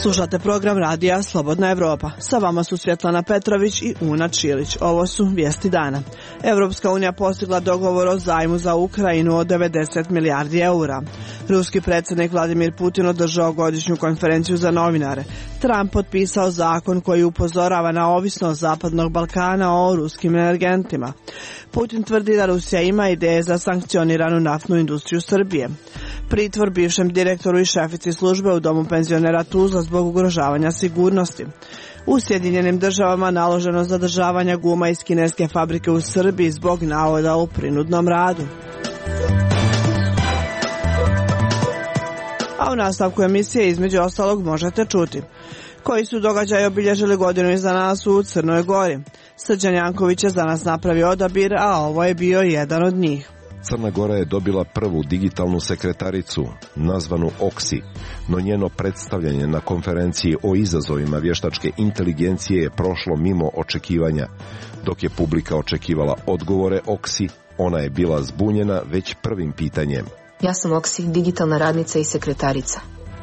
Slušate program radija Slobodna Evropa. Sa vama su Svjetlana Petrović i Una Čilić. Ovo su vijesti dana. Evropska unija postigla dogovor o zajmu za Ukrajinu od 90 milijardi eura. Ruski predsjednik Vladimir Putin održao godišnju konferenciju za novinare. Trump potpisao zakon koji upozorava na ovisnost Zapadnog Balkana o ruskim energentima. Putin tvrdi da Rusija ima ideje za sankcioniranu naftnu industriju Srbije. Pritvor bivšem direktoru i šefici službe u domu penzionera Tuzla zbog ugrožavanja sigurnosti. U Sjedinjenim državama naloženo zadržavanje guma iz kineske fabrike u Srbiji zbog navoda u prinudnom radu. A u nastavku emisije između ostalog možete čuti koji su događaji obilježili godinu iza nas u Crnoj Gori. Srđan Janković je za nas napravio odabir, a ovo je bio jedan od njih. Crna Gora je dobila prvu digitalnu sekretaricu, nazvanu Oksi, no njeno predstavljanje na konferenciji o izazovima vještačke inteligencije je prošlo mimo očekivanja. Dok je publika očekivala odgovore Oksi, ona je bila zbunjena već prvim pitanjem. Ja sam Oksi, digitalna radnica i sekretarica.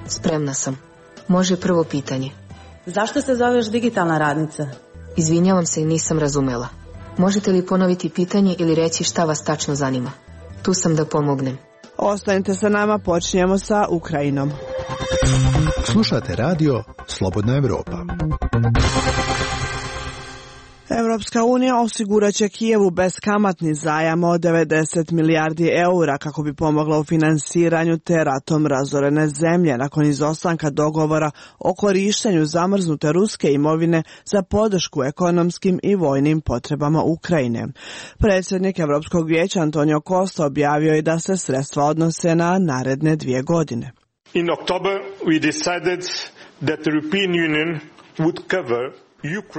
Spremna sam. Može prvo pitanje. Zašto se zoveš digitalna radnica? Izvinjavam se i nisam razumela. Možete li ponoviti pitanje ili reći šta vas tačno zanima? Tu sam da pomognem. Ostanite sa nama, počinjemo sa Ukrajinom. Slušate radio Slobodna Evropa. Evropska unija osigurat će Kijevu beskamatni zajam od 90 milijardi eura kako bi pomogla u finansiranju te ratom razorene zemlje nakon izostanka dogovora o korištenju zamrznute ruske imovine za podršku ekonomskim i vojnim potrebama Ukrajine. Predsjednik Europskog vijeća Antonio Costa objavio je da se sredstva odnose na naredne 2 godine. In October we decided that the European Union would cover.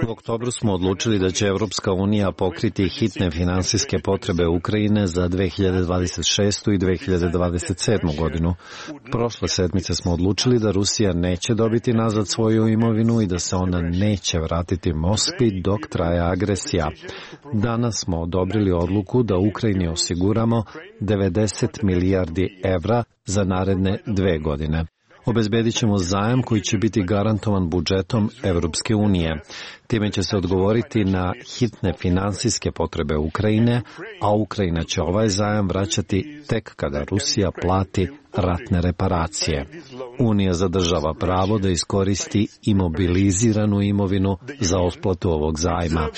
U oktobru smo odlučili da će Evropska unija pokriti hitne finansijske potrebe Ukrajine za 2026. i 2027. godinu. Prošle sedmice smo odlučili da Rusija neće dobiti nazad svoju imovinu i da se ona neće vratiti Moskvi dok traje agresija. Danas smo odobrili odluku da Ukrajini osiguramo 90 milijardi evra za naredne 2 godine. Obezbedit ćemo zajam koji će biti garantovan budžetom Evropske unije. Time će se odgovoriti na hitne finansijske potrebe Ukrajine, a Ukrajina će ovaj zajam vraćati tek kada Rusija plati ratne reparacije. Unija zadržava pravo da iskoristi imobiliziranu imovinu za otplatu ovog zajma.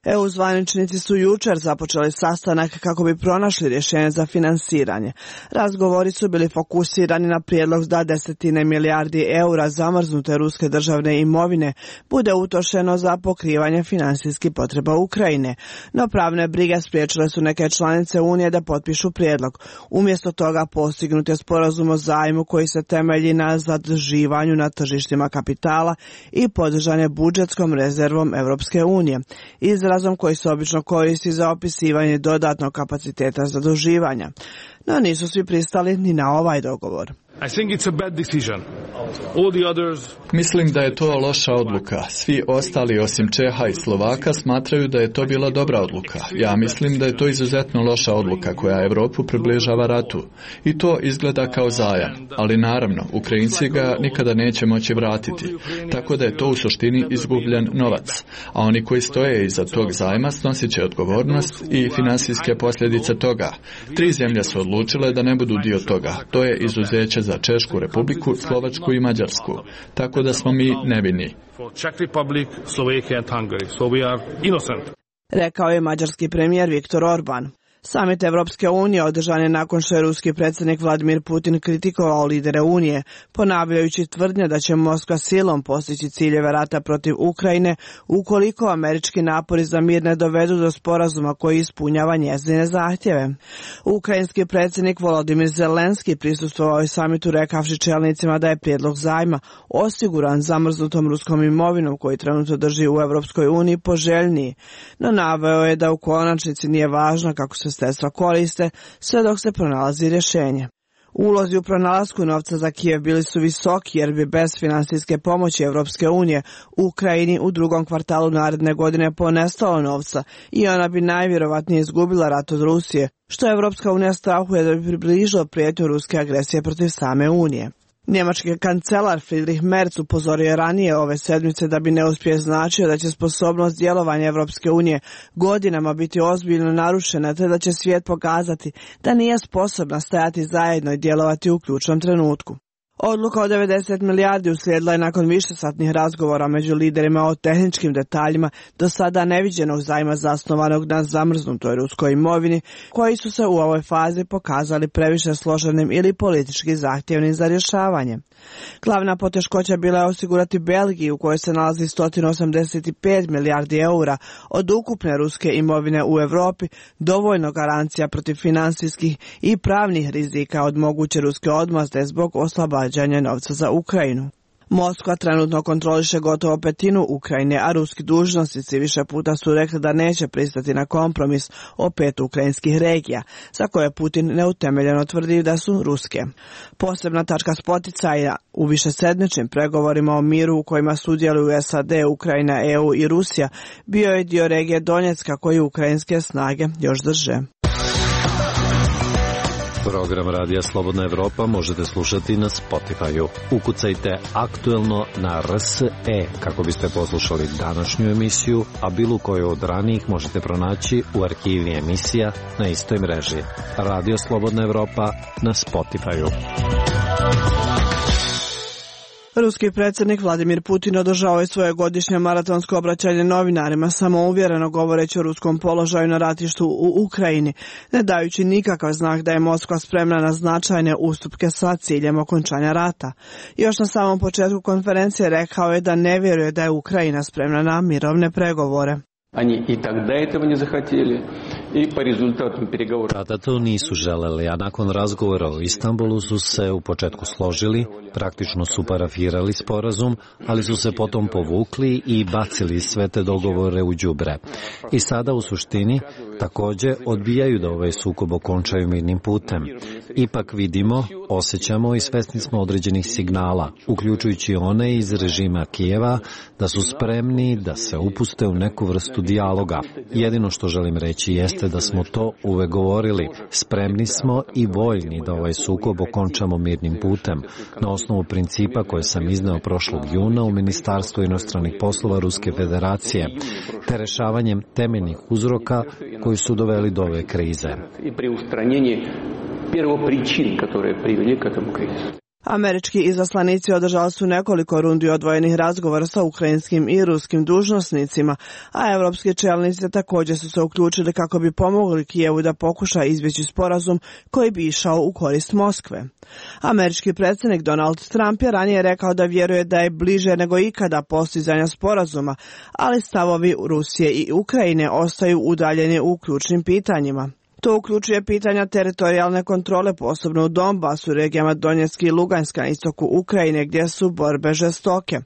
EU zvaničnici su jučer započeli sastanak kako bi pronašli rješenje za finansiranje. Razgovori su bili fokusirani na prijedlog da 10 milijardi eura zamrznute ruske državne imovine bude utrošeno za pokrivanje financijskih potreba Ukrajine. No pravne brige spriječile su neke članice Unije da potpišu prijedlog. Umjesto toga postignut je sporazum o zajmu koji se temelji na zaduživanju na tržištima kapitala i podržan je budžetskom rezervom Europske unije. Izrazom koji se obično koristi za opisivanje dodatnog kapaciteta zaduživanja. No nisu svi pristali ni na ovaj dogovor. Mislim da je to loša odluka. Svi ostali osim Čeha i Slovaka smatraju da je to bila dobra odluka. Ja mislim da je to izuzetno loša odluka koja Europu približava ratu. I to izgleda kao zajam. Ali naravno, Ukrajinci ga nikada neće moći vratiti. Tako da je to u suštini izgubljen novac. A oni koji stoje iza tog zajma snosit će odgovornost i finansijske posljedice toga. 3 zemlje su odlučile da ne budu dio toga. To je izuzeće za Češku republiku, Slovačku i Mađarsku. Tako da smo mi nevini. Rekao je mađarski premijer Viktor Orban. Samit Evropske unije održan je nakon što je ruski predsjednik Vladimir Putin kritikovao lidere Unije, ponavljajući tvrdnje da će Moskva silom postići ciljeve rata protiv Ukrajine ukoliko američki napori za mir ne dovedu do sporazuma koji ispunjava njezine zahtjeve. Ukrajinski predsjednik Volodimir Zelenski prisustvovao je samitu rekavši čelnicima da je prijedlog zajma osiguran zamrznutom ruskom imovinom koji trenutno drži u Evropskoj uniji poželjniji, no naveo je da u konačnici nije važno kako se sredstva koriste sve dok se pronalazi rješenje. Ulozi u pronalasku novca za Kijev bili su visoki jer bi bez finansijske pomoći Evropske unije u Ukrajini u drugom kvartalu naredne godine ponestalo novca i ona bi najvjerovatnije izgubila rat od Rusije, što Evropska unija strahuje da bi približilo prijetnju ruske agresije protiv same Unije. Njemački kancelar Friedrich Merz upozorio je ranije ove sedmice da bi neuspjeh značio da će sposobnost djelovanja Evropske unije godinama biti ozbiljno narušena te da će svijet pokazati da nije sposobna stajati zajedno i djelovati u ključnom trenutku. Odluka od 90 milijardi uslijedila je nakon višesatnih razgovora među liderima o tehničkim detaljima do sada neviđenog zajma zasnovanog na zamrznutoj ruskoj imovini, koji su se u ovoj fazi pokazali previše složenim ili politički zahtjevnim za rješavanje. Glavna poteškoća bila je osigurati Belgiji, u kojoj se nalazi 185 milijardi eura od ukupne ruske imovine u Europi, dovoljno garancija protiv financijskih i pravnih rizika od moguće ruske odmazde zbog oslobađanja novca za Ukrajinu. Moskva trenutno kontroliše gotovo petinu Ukrajine, a ruski dužnosnici više puta su rekli da neće pristati na kompromis o 5 ukrajinskih regija, za koje Putin neutemeljeno tvrdi da su ruske. Posebna tačka spoticaja u višesedmičnim pregovorima o miru u kojima sudjeluju SAD, Ukrajina, EU i Rusija bio je dio regije Donjecka koji ukrajinske snage još drže. Program Radija Slobodna Evropa možete slušati na Spotify-u. Ukucajte aktuelno na RSE kako biste poslušali današnju emisiju, a bilo koju od ranijih možete pronaći u arhivi emisija na istoj mreži. Radio Slobodna Evropa na Spotify-u. Ruski predsjednik Vladimir Putin održao je svoje godišnje maratonsko obraćanje novinarima, samouvjereno govoreći o ruskom položaju na ratištu u Ukrajini, ne dajući nikakav znak da je Moskva spremna na značajne ustupke sa ciljem okončanja rata. Još na samom početku konferencije rekao je da ne vjeruje da je Ukrajina spremna na mirovne pregovore. Они и тогда этого не захотели, и по результатам переговоров. Tada to nisu želeli, a nakon razgovora o Istanbulu su se u početku složili, praktično su parafirali sporazum, ali su se potom povukli i bacili sve te dogovore u đubre. I sada u suštini također odbijaju da ovaj sukob okončaju mirnim putem. Ipak vidimo, osjećamo i svesni smo određenih signala, uključujući one iz režima Kijeva, da su spremni da se upuste u neku vrstu dijaloga. Jedino što želim reći jeste da smo to uvek govorili. Spremni smo i voljni da ovaj sukob okončamo mirnim putem, na osnovu principa koje sam izneo prošlog juna u Ministarstvu inostranih poslova Ruske federacije, te rešavanjem temeljnih uzroka koji su doveli do ove krize. Američki izaslanici održali su nekoliko rundi odvojenih razgovora sa ukrajinskim i ruskim dužnosnicima, a evropski čelnici također su se uključili kako bi pomogli Kijevu da pokuša izbjeći sporazum koji bi išao u korist Moskve. Američki predsjednik Donald Trump je ranije rekao da vjeruje da je bliže nego ikada postizanja sporazuma, ali stavovi Rusije i Ukrajine ostaju udaljeni u ključnim pitanjima. To uključuje pitanja teritorijalne kontrole, posebno u Donbasu, regijama Donjecka i Luganska na istoku Ukrajine, gdje su borbe žestoke.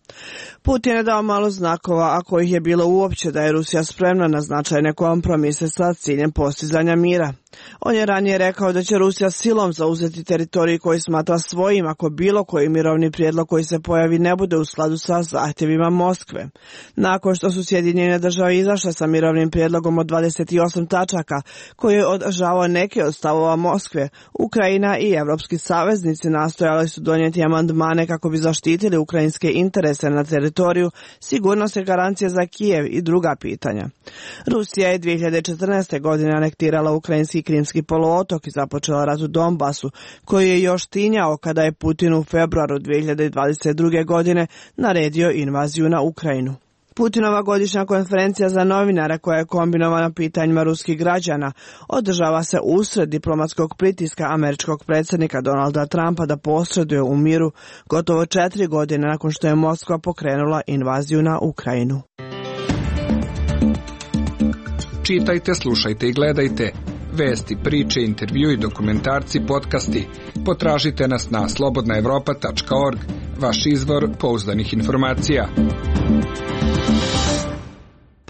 Putin je dao malo znakova, a kojih je bilo uopće da je Rusija spremna na značajne kompromise sa ciljem postizanja mira. On je ranije rekao da će Rusija silom zauzeti teritorij koji smatra svojim ako bilo koji mirovni prijedlog koji se pojavi ne bude u skladu sa zahtjevima Moskve. Nakon što su Sjedinjene Države izašle sa mirovnim prijedlogom od 28 tačaka koji je održavao neke od stavova Moskve, Ukrajina i evropski saveznici nastojali su donijeti amandmane kako bi zaštitili ukrajinske interese na teritoriju, sigurnosne garancije za Kijev i druga pitanja. Rusija je 2014. godine anektirala ukrajinski Krimski poluotok i započela rat u Donbasu, koji je još tinjao kada je Putin u februaru 2022. godine naredio invaziju na Ukrajinu. Putinova godišnja konferencija za novinare, koja je kombinovana pitanjima ruskih građana, održava se usred diplomatskog pritiska američkog predsjednika Donalda Trumpa da posreduje u miru gotovo 4 godine nakon što je Moskva pokrenula invaziju na Ukrajinu. Čitajte, slušajte i gledajte vesti, priče, intervju i dokumentarci, podcasti. Potražite nas na slobodnaevropa.org, vaš izvor pouzdanih informacija.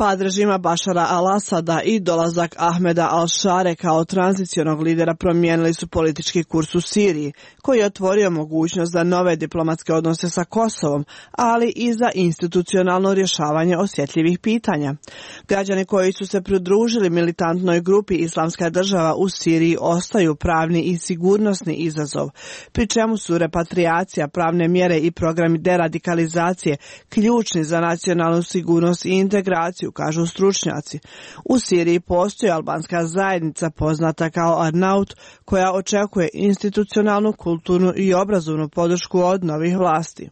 Pad režima Bašara al-Asada i dolazak Ahmeda al-Šare kao tranzicionog lidera promijenili su politički kurs u Siriji, koji je otvorio mogućnost za nove diplomatske odnose sa Kosovom, ali i za institucionalno rješavanje osjetljivih pitanja. Građani koji su se pridružili militantnoj grupi Islamska država u Siriji ostaju pravni i sigurnosni izazov, pri čemu su repatriacija, pravne mjere i programi deradikalizacije ključni za nacionalnu sigurnost i integraciju, kažu stručnjaci. U Siriji postoji albanska zajednica poznata kao Arnaut, koja očekuje institucionalnu, kulturnu i obrazovnu podršku od novih vlasti.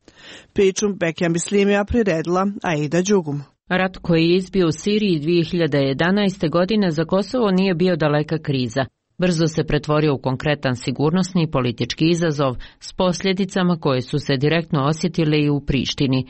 Priču Bekija Bislimija priredila Aida Đugum. Rat koji je izbio u Siriji 2011. godine za Kosovo nije bio daleka kriza. Brzo se pretvorio u konkretan sigurnosni i politički izazov s posljedicama koje su se direktno osjetile i u Prištini.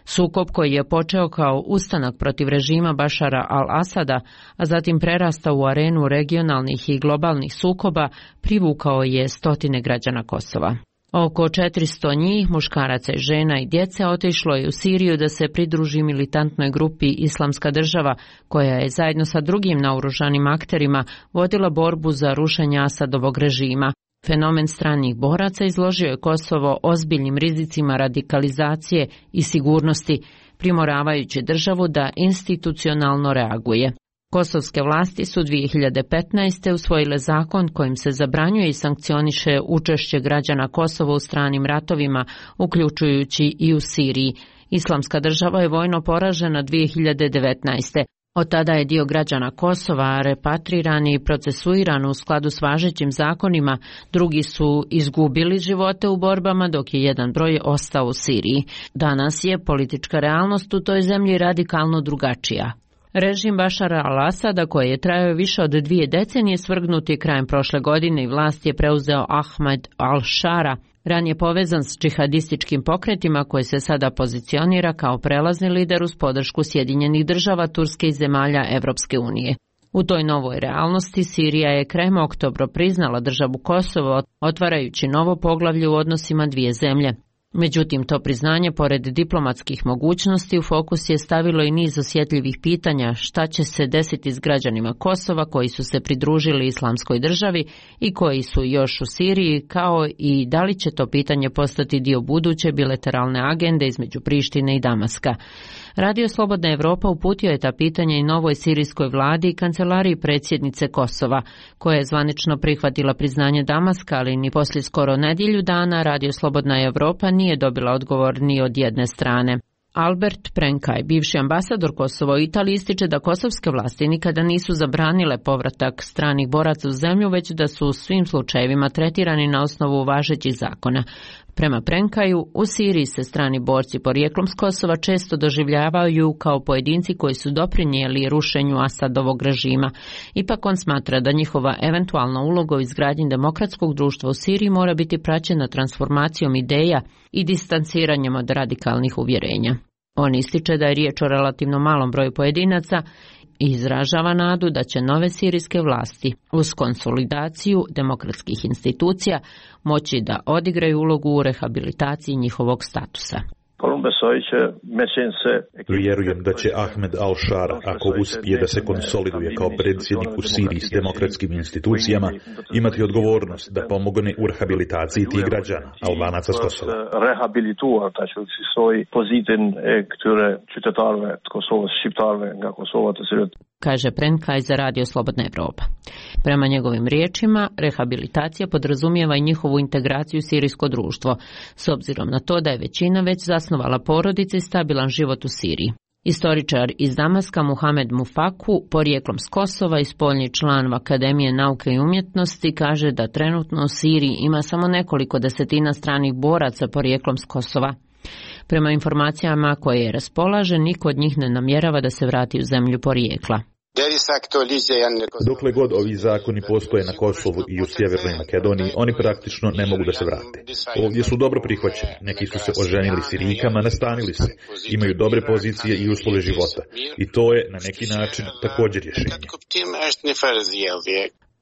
Sukob koji je počeo kao ustanak protiv režima Bašara al-Asada, a zatim prerastao u arenu regionalnih i globalnih sukoba, privukao je stotine građana Kosova. Oko 400 njih, muškaraca, žena i djece, otišlo je u Siriju da se pridruži militantnoj grupi Islamska država, koja je zajedno sa drugim naoružanim akterima vodila borbu za rušenje Asadovog režima. Fenomen stranih boraca izložio je Kosovo ozbiljnim rizicima radikalizacije i sigurnosti, primoravajući državu da institucionalno reaguje. Kosovske vlasti su 2015. usvojile zakon kojim se zabranjuje i sankcioniše učešće građana Kosova u stranim ratovima, uključujući i u Siriji. Islamska država je vojno poražena 2019. Od tada je dio građana Kosova repatriran i procesuiran u skladu s važećim zakonima, drugi su izgubili živote u borbama, dok je jedan broj ostao u Siriji. Danas je politička realnost u toj zemlji radikalno drugačija. Režim Bašara al-Asada, koji je trajao više od 2 decenije, svrgnut je krajem prošle godine i vlast je preuzeo Ahmed al-Šara, ranije povezan s džihadističkim pokretima, koji se sada pozicionira kao prelazni lider uz podršku Sjedinjenih država, Turske i zemalja Evropske unije. U toj novoj realnosti Sirija je krajem oktobra priznala državu Kosovo, otvarajući novo poglavlje u odnosima dvije zemlje. Međutim, to priznanje, pored diplomatskih mogućnosti, u fokus je stavilo i niz osjetljivih pitanja šta će se desiti s građanima Kosova koji su se pridružili Islamskoj državi i koji su još u Siriji, kao i da li će to pitanje postati dio buduće bilateralne agende između Prištine i Damaska. Radio Slobodna Evropa uputio je ta pitanja i novoj sirijskoj vladi i kancelariji predsjednice Kosova, koja je zvanično prihvatila priznanje Damaska, ali ni poslije skoro nedjelju dana Radio Slobodna Evropa nije dobila odgovor ni od jedne strane. Albert Prenkaj, bivši ambasador Kosova u Italiji, ističe da kosovske vlasti nikada nisu zabranile povratak stranih boraca u zemlju, već da su u svim slučajevima tretirani na osnovu važećih zakona. Prema Prenkaju, u Siriji se strani borci porijeklom s Kosova često doživljavaju kao pojedinci koji su doprinijeli rušenju Asadovog režima. Ipak on smatra da njihova eventualna uloga u izgradnji demokratskog društva u Siriji mora biti praćena transformacijom ideja i distanciranjem od radikalnih uvjerenja. On ističe da je riječ o relativno malom broju pojedinaca i izražava nadu da će nove sirijske vlasti uz konsolidaciju demokratskih institucija moći da odigraju ulogu u rehabilitaciji njihovog statusa. Vjerujem da će Ahmed al-Šara, ako uspije da se konsoliduje kao predsjednik u Siriji s demokratskim institucijama, imati odgovornost da pomogne u rehabilitaciji tih građana, Albanaca s Kosova. Kaže Prenkaj za Radio Slobodna Evropa. Prema njegovim riječima, rehabilitacija podrazumijeva i njihovu integraciju u sirijsko društvo, s obzirom na to da je većina već zasnovala porodice i stabilan život u Siriji. Istoričar iz Damaska Muhamed Mufaku, porijeklom s Kosova i spoljni član Akademije nauke i umjetnosti, kaže da trenutno u Siriji ima samo nekoliko desetina stranih boraca porijeklom s Kosova. Prema informacijama koje raspolaže, niko od njih ne namjerava da se vrati u zemlju porijekla. Dokle god ovi zakoni postoje na Kosovu i u Sjevernoj Makedoniji, oni praktično ne mogu da se vrate. Ovdje su dobro prihvaćeni, neki su se oženili Sirijkama, nastanili se, imaju dobre pozicije i uslove života. I to je na neki način također rješenje.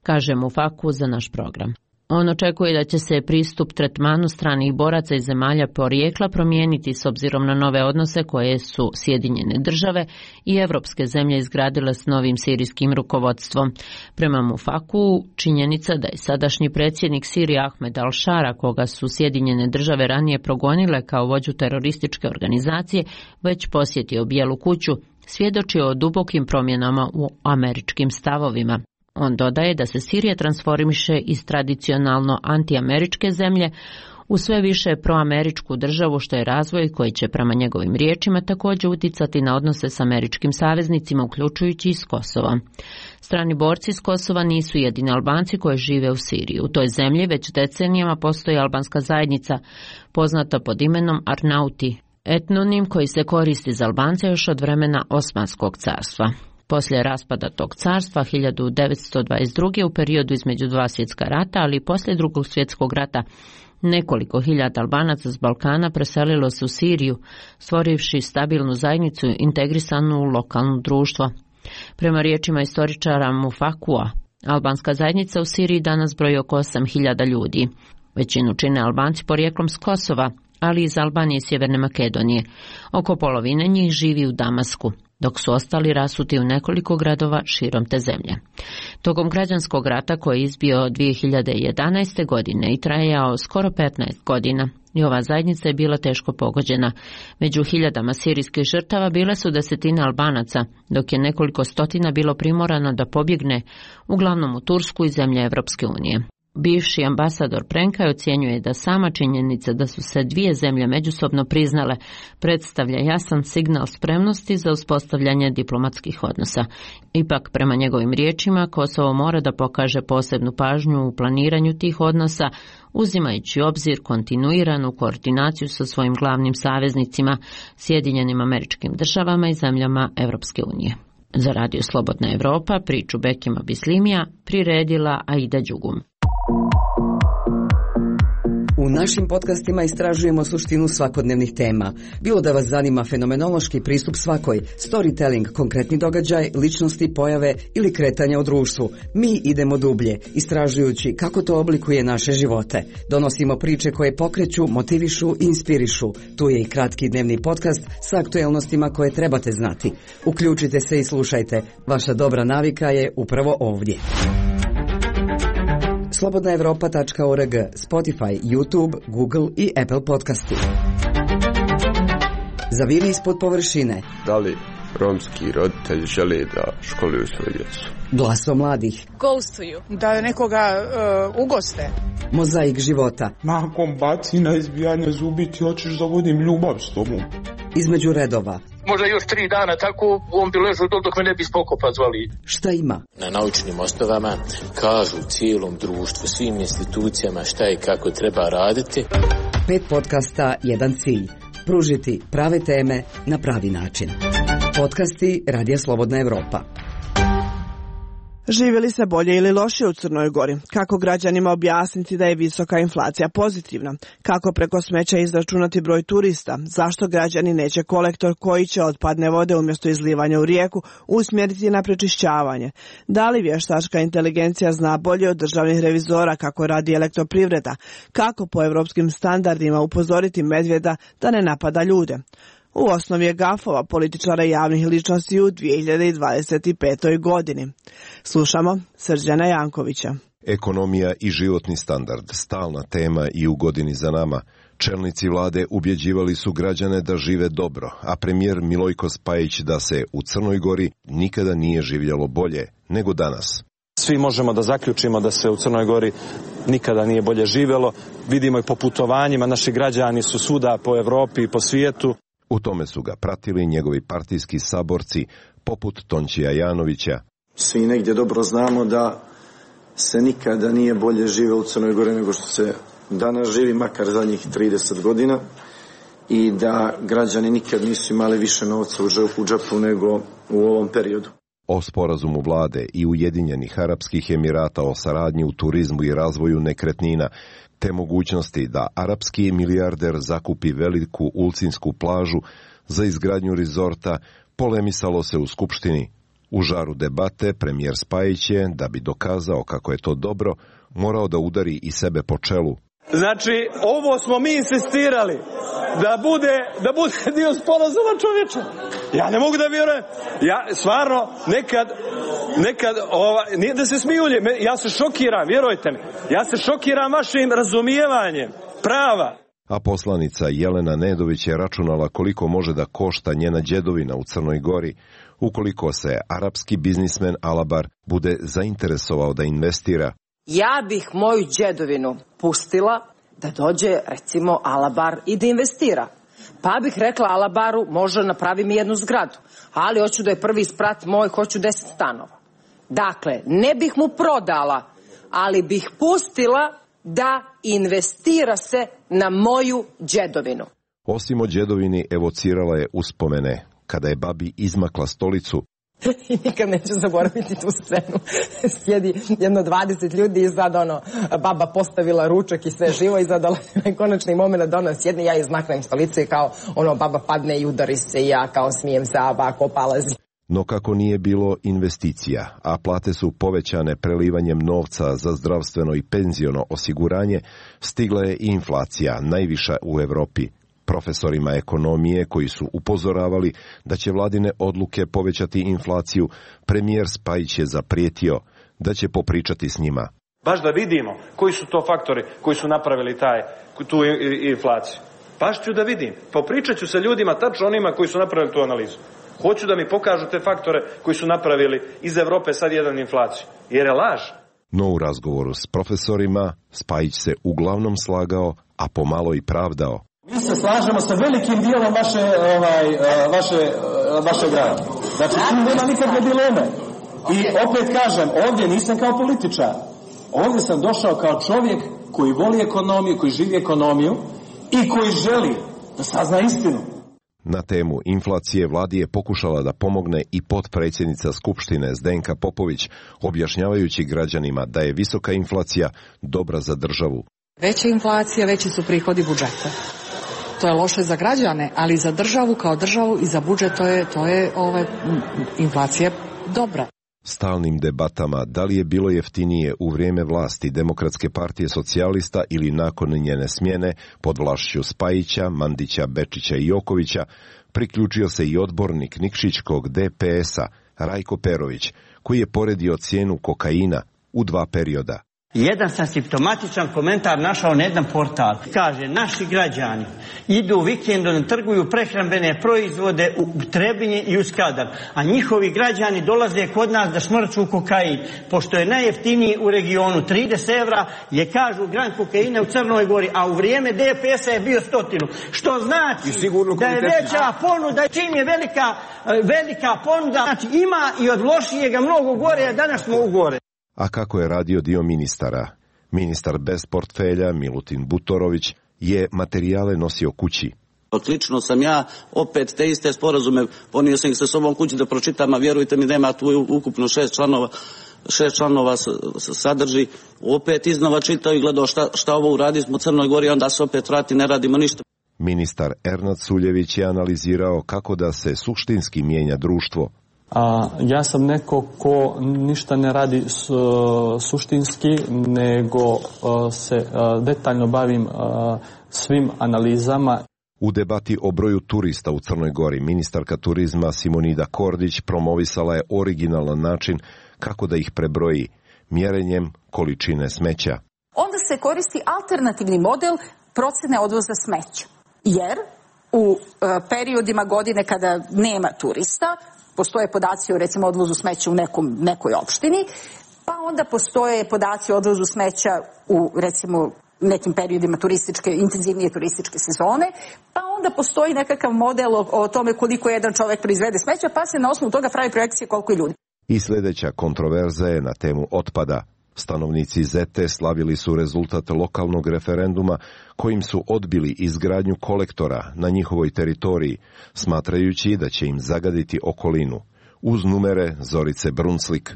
Kaže Mufaku za naš program. On očekuje da će se pristup tretmanu stranih boraca iz zemalja porijekla promijeniti s obzirom na nove odnose koje su Sjedinjene države i evropske zemlje izgradile s novim sirijskim rukovodstvom. Prema Mufaku, činjenica da je sadašnji predsjednik Sirije Ahmed al-Šara, koga su Sjedinjene države ranije progonile kao vođu terorističke organizacije, već posjetio Bijelu kuću, svjedoči o dubokim promjenama u američkim stavovima. On dodaje da se Sirija transformiše iz tradicionalno antiameričke zemlje u sve više proameričku državu, što je razvoj koji će prema njegovim riječima također uticati na odnose s američkim saveznicima, uključujući i s Kosova. Strani borci iz Kosova nisu jedini Albanci koji žive u Siriji. U toj zemlji već decenijama postoji albanska zajednica, poznata pod imenom Arnauti, etnonim koji se koristi za Albance još od vremena Osmanskog carstva. Poslije raspada tog carstva 1922. u periodu između dva svjetska rata, ali i poslije Drugog svjetskog rata, nekoliko hiljada Albanaca s Balkana preselilo se u Siriju, stvorivši stabilnu zajednicu integrisanu u lokalno društvo. Prema riječima istoričara Mufakua, albanska zajednica u Siriji danas broji oko 8.000 ljudi. Većinu čine Albanci porijeklom s Kosova, ali iz Albanije i Sjeverne Makedonije. Oko polovine njih živi u Damasku, dok su ostali rasuti u nekoliko gradova širom te zemlje. Tokom građanskog rata koji je izbio 2011. godine i trajao skoro 15 godina, i ova zajednica je bila teško pogođena. Među hiljadama sirijskih žrtava bile su desetine Albanaca, dok je nekoliko stotina bilo primorano da pobjegne, uglavnom u Tursku i zemlje Evropske unije. Bivši ambasador Prenkaj ocjenjuje da sama činjenica da su se dvije zemlje međusobno priznale predstavlja jasan signal spremnosti za uspostavljanje diplomatskih odnosa. Ipak, prema njegovim riječima, Kosovo mora da pokaže posebnu pažnju u planiranju tih odnosa, uzimajući u obzir kontinuiranu koordinaciju sa svojim glavnim saveznicima, Sjedinjenim Američkim Državama i zemljama Evropske unije. Za Radio Slobodna Evropa priču Bekima Bislimija priredila Aida Đugum. U našim podcastima istražujemo suštinu svakodnevnih tema. Bilo da vas zanima fenomenološki pristup svakoj, storytelling, konkretni događaj, ličnosti, pojave ili kretanja u društvu. Mi idemo dublje, istražujući kako to oblikuje naše živote. Donosimo priče koje pokreću, motivišu i inspirišu. Tu je i kratki dnevni podcast sa aktuelnostima koje trebate znati. Uključite se i slušajte. Vaša dobra navika je upravo ovdje. slobodnaevropa.org, Spotify, YouTube, Google i Apple podcasti. Zaviri ispod površine. Da li romski roditelji žele da školuju svoju djecu? Glasom mladih. Ghostuju. Da nekoga ugoste. Mozaik života. Nakon bacina, izbijanja zubi ti hoćeš da vodim ljubav s tobom. Između redova. Možda još 3 dana tako on bi ležao dok me ne bi spokopa zvali. Šta ima? Na naučnim osnovama kažu cijelom društvu, svim institucijama šta i kako treba raditi. 5 podcasta, jedan cilj. Pružiti prave teme na pravi način. Podcasti Radija Slobodna Evropa. Živi li se bolje ili lošije u Crnoj Gori? Kako građanima objasniti da je visoka inflacija pozitivna? Kako preko smeća izračunati broj turista? Zašto građani neće kolektor koji će otpadne vode umjesto izlivanja u rijeku usmjeriti na prečišćavanje? Da li vještačka inteligencija zna bolje od državnih revizora kako radi elektroprivreda? Kako po europskim standardima upozoriti medvjeda da ne napada ljude? U osnovi je gafova političara i javnih ličnosti u 2025. godini. Slušamo Srđana Jankovića. Ekonomija i životni standard, stalna tema i u godini za nama. Čelnici vlade ubjeđivali su građane da žive dobro, a premijer Milojko Spajić da se u Crnoj Gori nikada nije živjelo bolje nego danas. Svi možemo da zaključimo da se u Crnoj Gori nikada nije bolje živjelo. Vidimo i po putovanjima, naši građani su svuda po Evropi i po svijetu. U tome su ga pratili njegovi partijski saborci, poput Tončija Janovića. Svi negdje dobro znamo da se nikada nije bolje živjelo u Crnoj Gori nego što se danas živi, makar zadnjih 30 godina, i da građani nikad nisu imali više novca u džepu nego u ovom periodu. O sporazumu vlade i Ujedinjenih Arapskih Emirata o saradnji u turizmu i razvoju nekretnina, te mogućnosti da arapski milijarder zakupi veliku ulcinsku plažu za izgradnju rizorta, polemisalo se u Skupštini U žaru debate premijer Spajić je, da bi dokazao kako je to dobro, morao da udari i sebe po čelu. Znači, ovo smo mi insistirali da bude dio sporazuma, čovječe. Ja ne mogu da vjerujem. Ja stvarno nekad nije da se smijulje, ja se šokiram, vjerujte mi. Ja se šokiram vašim razumijevanjem prava. A poslanica Jelena Nedović je računala koliko može da košta njena đedovina u Crnoj Gori ukoliko se arapski biznismen Alabar bude zainteresovao da investira. Ja bih moju đedovinu pustila da dođe, recimo, Alabar i da investira. Pa bih rekla Alabaru, može napravi mi jednu zgradu, ali hoću da je prvi sprat moj, hoću 10 stanova. Dakle, ne bih mu prodala, ali bih pustila da investira se na moju đedovinu. Osim o đedovini evocirala je uspomene kada je babi izmakla stolicu. I nikad neću zaboraviti tu scenu. Sjedi jedno 20 ljudi i sad baba postavila ručak i sve živo i sad konačni moment da ona sjedne, ja izmaknem stolicu i kao baba padne i udari se i ja kao smijem se, a bako palazi. No kako nije bilo investicija, a plate su povećane prelivanjem novca za zdravstveno i penziono osiguranje, stigla je i inflacija, najviša u Evropi. Profesorima ekonomije koji su upozoravali da će vladine odluke povećati inflaciju, premijer Spajić je zaprijetio da će popričati s njima. Baš da vidimo koji su to faktori koji su napravili tu inflaciju. Baš ću da vidim. Popričat ću sa ljudima, tačno onima koji su napravili tu analizu. Hoću da mi pokažu te faktore koji su napravili iz Evrope sad jedan inflaciju. Jer je laž. No u razgovoru s profesorima Spajić se uglavnom slagao, a pomalo i pravdao. Mi se slažemo sa velikim dijelom vaše grada. Znači, tu nema nikakve dileme. I opet kažem, ovdje nisam kao političar. Ovdje sam došao kao čovjek koji voli ekonomiju, koji živi ekonomiju i koji želi da sazna istinu. Na temu inflacije vladi je pokušala da pomogne i potpredsjednica Skupštine Zdenka Popović, objašnjavajući građanima da je visoka inflacija dobra za državu. Veća inflacija, veći su prihodi budžeta. To je loše za građane, ali za državu kao državu i za budžet to je inflacija dobra. Stalnim debatama da li je bilo jeftinije u vrijeme vlasti Demokratske partije socijalista ili nakon njene smjene pod vlašću Spajića, Mandića, Bečića i Jokovića, priključio se i odbornik Nikšićkog DPS-a Rajko Perović, koji je poredio cijenu kokaina u 2 perioda. Jedan sam simptomatičan komentar našao na jedan portal. Kaže, naši građani idu vikendom, trguju prehrambene proizvode u Trebinje i u Skadar, a njihovi građani dolaze kod nas da šmrču kokain, pošto je najjeftiniji u regionu. 30 evra je, kažu, gram kokaina u Crnoj Gori, a u vrijeme DPS-a je bio 100. Što znači da je veća ponuda, čim je velika ponuda, znači ima i od lošijega mnogo gore, a danas smo u gore. A kako je radio dio ministara? Ministar bez portfelja, Milutin Butorović, je materijale nosio kući. Lično sam ja opet te iste sporazume ponio sam ih sa sobom kući da pročitam, a vjerujte mi nema tu ukupno 6 članova sadrži. Opet iznova čitao i gledao šta ovo uradimo u Crnoj Gori, onda se opet vrati, ne radimo ništa. Ministar Ernad Suljević je analizirao kako da se suštinski mijenja društvo. Ja sam neko ko ništa ne radi suštinski, nego se detaljno bavim svim analizama. U debati o broju turista u Crnoj Gori, ministarka turizma Simonida Kordić promovisala je originalan način kako da ih prebroji, mjerenjem količine smeća. Onda se koristi alternativni model procjene odvoza smeća, jer u periodima godine kada nema turista, postoje podaci o recimo odvozu smeća u nekoj opštini, pa onda postoje podaci o odvozu smeća u recimo nekim periodima intenzivnije turističke sezone, pa onda postoji nekakav model o tome koliko jedan čovjek proizvede smeća, pa se na osnovu toga pravi projekcije koliko je ljudi. I sljedeća kontroverza je na temu otpada. Stanovnici Zete slavili su rezultat lokalnog referenduma kojim su odbili izgradnju kolektora na njihovoj teritoriji, smatrajući da će im zagaditi okolinu. Uz numere Zorice Brunslik.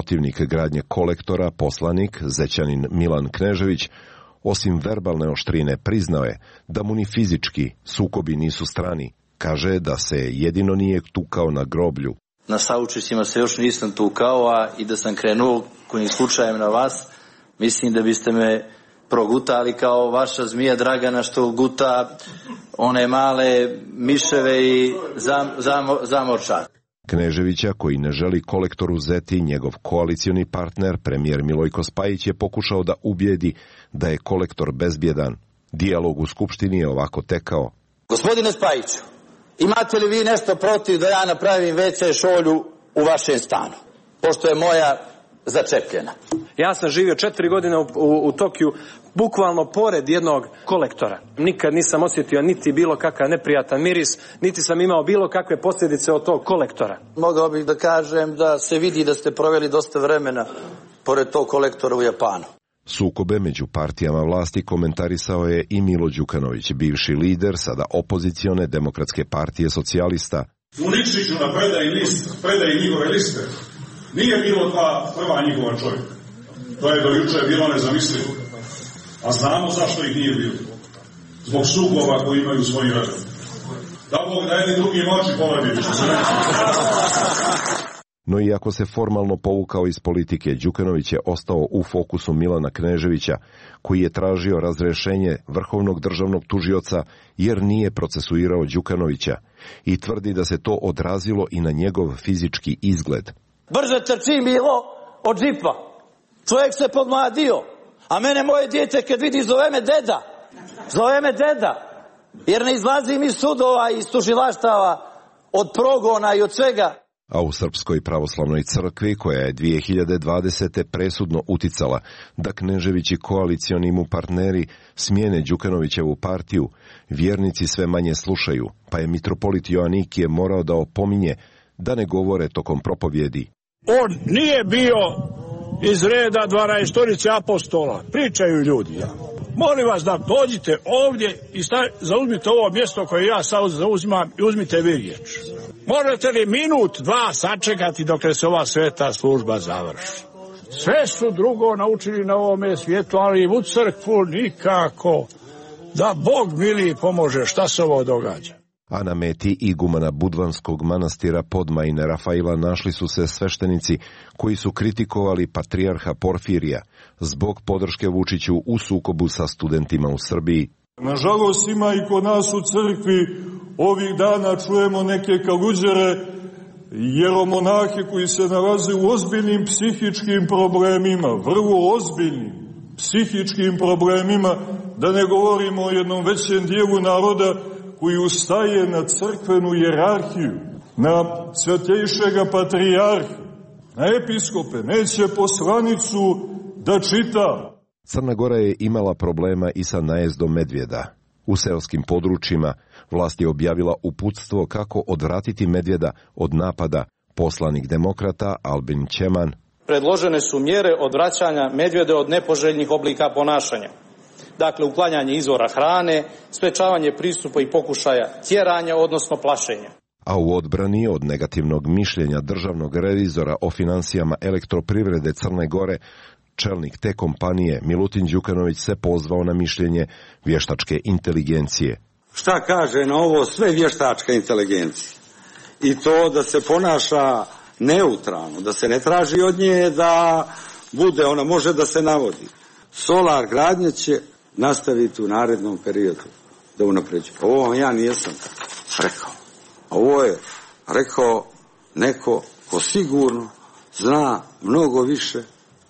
protivnik gradnje kolektora, poslanik zećanin Milan Knežević, osim verbalne oštrine, priznao je da mu ni fizički sukobi nisu strani. Kaže da se jedino nije tukao na groblju. Na saučescima se još nisam tukao, a i da sam krenuo kojim slučajem na vas, mislim da biste me progutali kao vaša zmija Dragana što guta one male miševe i zamorčak. Kneževića, koji ne želi kolektor uzeti, njegov koalicioni partner, premijer Milojko Spajić, je pokušao da ubijedi da je kolektor bezbjedan. Dijalog u Skupštini je ovako tekao. Gospodine Spajiću, imate li vi nešto protiv da ja napravim WC šolju u vašem stanu? Pošto je moja začepljena. Ja sam živio 4 godine u Tokiju, bukvalno pored jednog kolektora. Nikad nisam osjetio niti bilo kakav neprijatan miris, niti sam imao bilo kakve posljedice od tog kolektora. Mogao bih da kažem da se vidi da ste proveli dosta vremena pored tog kolektora u Japanu. Sukobe među partijama vlasti komentarisao je i Milo Đukanović, bivši lider sada opozicione Demokratske partije socijalista. U Nikšiću na predaji njihove liste nije bilo prva njihova čovjeka. To je do juče bilo nezamislivo. A znamo zašto ih nije bilo. Zbog sukoba koji imaju svoji redom. Da Bog da jedni drugi moći povrediti. No iako se formalno povukao iz politike, Đukanović je ostao u fokusu Milana Kneževića, koji je tražio razrešenje vrhovnog državnog tužioca jer nije procesuirao Đukanovića i tvrdi da se to odrazilo i na njegov fizički izgled. Brže trči Milo od džipa. Čovjek se podmladio, a mene moje dijete kad vidi zove me deda. Zove me deda, jer ne izlazim iz sudova i iz tužilaštava, od progona i od svega. A u Srpskoj pravoslavnoj crkvi, koja je 2020. presudno uticala da Knežević i koalicioni mu partneri smijene Đukanovićevu partiju, vjernici sve manje slušaju, pa je mitropolit Joanikije morao da opominje da ne govore tokom propovjedi. On nije bio iz reda 12 apostola, pričaju ljudi. Molim vas da dođite ovdje i zauzmite ovo mjesto koje ja sad zauzimam i uzmite vi riječ. Možete li minut, dva sačekati dok se ova sveta služba završi? Sve su drugo naučili na ovome svijetu, ali u crkvu nikako. Da Bog mili pomože, šta se ovo događa? A na meti igumana Budvanskog manastira Podmajine Rafaila našli su se sveštenici koji su kritikovali patrijarha Porfirija zbog podrške Vučiću u sukobu sa studentima u Srbiji. Nažalost ima i kod nas u crkvi ovih dana čujemo neke kaluđere, jeromonahe koji se nalaze u ozbiljnim psihičkim problemima, vrlo ozbiljnim psihičkim problemima, da ne govorimo o jednom većem dijelu naroda koji ustaje na crkvenu jerarhiju, na svetejšega patrijarha, na episkope, neće poslanicu da čita. Crna Gora je imala problema i sa najezdom medvjeda. U seoskim područjima vlast je objavila uputstvo kako odvratiti medvjeda od napada. Poslanik demokrata Albin Ćeman. Predložene su mjere odvraćanja medvjeda od nepoželjnih oblika ponašanja. Dakle, uklanjanje izvora hrane, sprečavanje pristupa i pokušaja tjeranja, odnosno plašenja. A u odbrani od negativnog mišljenja državnog revizora o finansijama elektroprivrede Crne Gore, čelnik te kompanije Milutin Đukanović se pozvao na mišljenje vještačke inteligencije. Šta kaže na ovo sve vještačka inteligencija? I to da se ponaša neutralno, da se ne traži od nje da bude, ona može da se navodi. Solar gradnja će nastaviti u narednom periodu da unapređuje. Ovo ja nisam rekao. Ovo je rekao neko ko sigurno zna mnogo više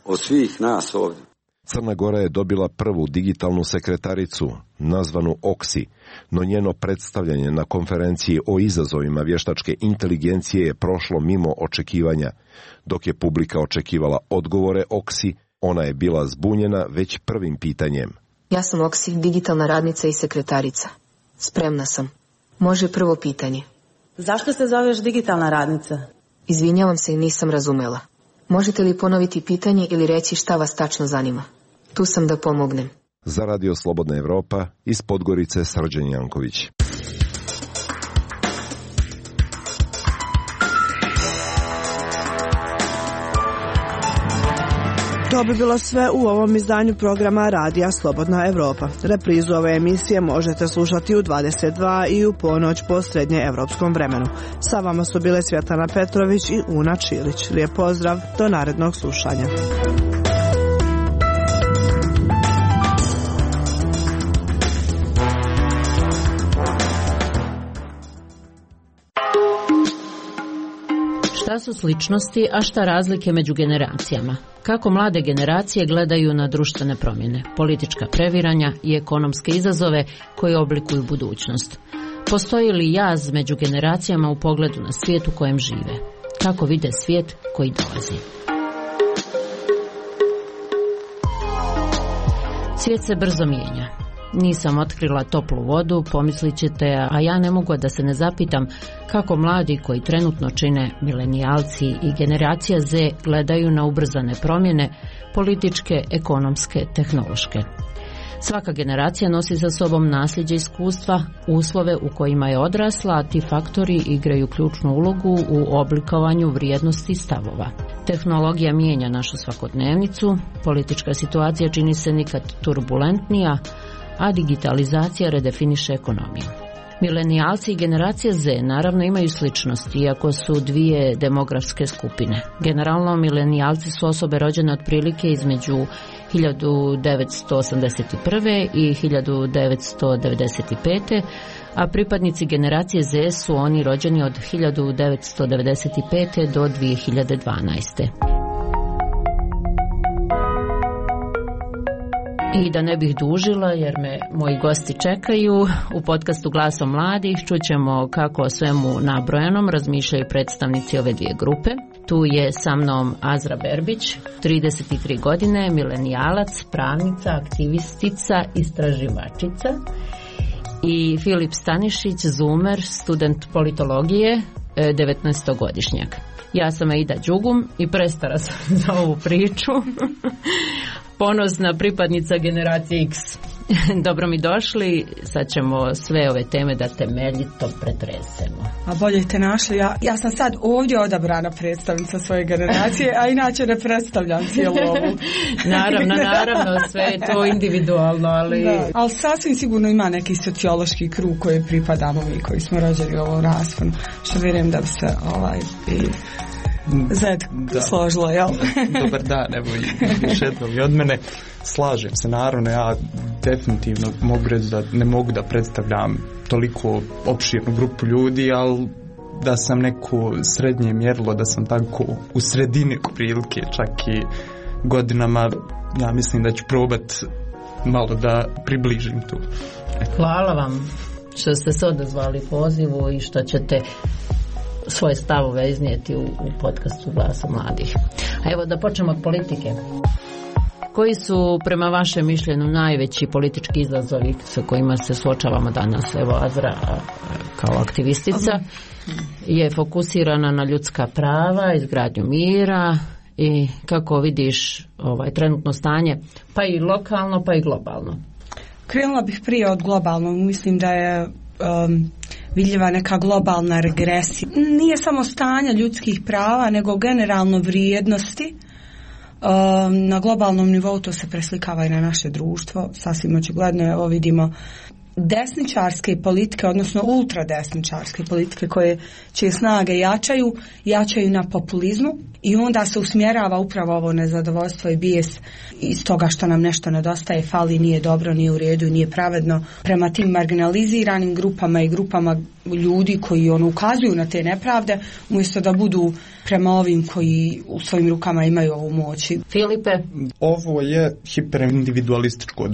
od svih nas ovdje. Crna Gora je dobila prvu digitalnu sekretaricu, nazvanu Oksi, no njeno predstavljanje na konferenciji o izazovima vještačke inteligencije je prošlo mimo očekivanja. Dok je publika očekivala odgovore Oksi, ona je bila zbunjena već prvim pitanjem. Ja sam Oksi, digitalna radnica i sekretarica. Spremna sam. Može prvo pitanje. Zašto se zoveš digitalna radnica? Izvinjavam se, nisam razumela. Možete li ponoviti pitanje ili reći šta vas tačno zanima? Tu sam da pomognem. Za Radio Slobodna Evropa iz Podgorice Srđan Janković. To bi bilo sve u ovom izdanju programa Radija Slobodna Evropa. Reprizu ove emisije možete slušati u 22 i u ponoć po srednjeevropskom vremenu. Sa vama su bile Svjetlana Petrović i Una Čilić. Lijep pozdrav, do narednog slušanja. Šta su sličnosti, a šta razlike među generacijama? Kako mlade generacije gledaju na društvene promjene, politička previranja i ekonomske izazove koji oblikuju budućnost? Postoji li jaz među generacijama u pogledu na svijet u kojem žive? Kako vide svijet koji dolazi? Svijet se brzo mijenja. Nisam otkrila toplu vodu, pomislit ćete, a ja ne mogu da se ne zapitam kako mladi koji trenutno čine milenijalci i generacija Z gledaju na ubrzane promjene, političke, ekonomske, tehnološke. Svaka generacija nosi sa sobom nasljeđe iskustva, uslove u kojima je odrasla, a ti faktori igraju ključnu ulogu u oblikovanju vrijednosti i stavova. Tehnologija mijenja našu svakodnevnicu, politička situacija čini se nikad turbulentnija, a digitalizacija redefiniše ekonomiju. Milenijalci i generacija Z naravno imaju sličnosti, iako su dvije demografske skupine. Generalno, milenijalci su osobe rođene otprilike između 1981. i 1995. a pripadnici generacije Z su oni rođeni od 1995. do 2012. I da ne bih dužila, jer me moji gosti čekaju, u podcastu Glasom mladih čućemo kako o svemu nabrojanom razmišljaju predstavnici ove dvije grupe. Tu je sa mnom Azra Berbić, 33 godine, milenijalac, pravnica, aktivistica, istraživačica, i Filip Stanišić, zoomer, student politologije, 19-godišnjak. Ja sam Aida Đugum i prestara sam za ovu priču. Ponosna pripadnica generacije X. Dobro mi došli, sad ćemo sve ove teme da temeljito pretresemo. A bolje te našli, ja sam sad ovdje odabrana predstavnica svoje generacije, a inače ne predstavljam cijelu ovu. Naravno, sve je to individualno, ali... Da, ali sasvim sigurno ima neki sociološki krug koji pripadamo mi, koji smo rođeni u ovom rasponu, što vjerujem da bi se Zed složilo, jel? Dobar dan, evo više i od mene. Slažem se, naravno, ja definitivno mogu reći da ne mogu da predstavljam toliko opširnu grupu ljudi, ali da sam neko srednje mjerilo, da sam tako u sredini prilike, čak i godinama, ja mislim da ću probat malo da približim tu. Hvala vam što ste se odazvali pozivu i što ćete svoje stavove iznijeti u podcastu Glasa mladih. A evo da počnemo od politike. Koji su prema vašem mišljenju najveći politički izazovi sa kojima se suočavamo danas? Evo Azra kao aktivistica je fokusirana na ljudska prava, izgradnju mira i kako vidiš trenutno stanje, pa i lokalno pa i globalno. Krenula bih prije od globalnog, mislim da je vidljiva neka globalna regresija. Nije samo stanje ljudskih prava, nego generalno vrijednosti. Na globalnom nivou to se preslikava i na naše društvo. Sasvim očigledno, evo vidimo desničarske politike, odnosno ultradesničarske politike čije snage jačaju na populizmu i onda se usmjerava upravo ovo nezadovoljstvo i bijes iz toga što nam nešto nedostaje, fali, nije dobro, nije u redu, nije pravedno prema tim marginaliziranim grupama i grupama ljudi koji ukazuju na te nepravde, umjesto da budu prema ovim koji u svojim rukama imaju ovu moć. Filipe? Ovo je hiperindividualističko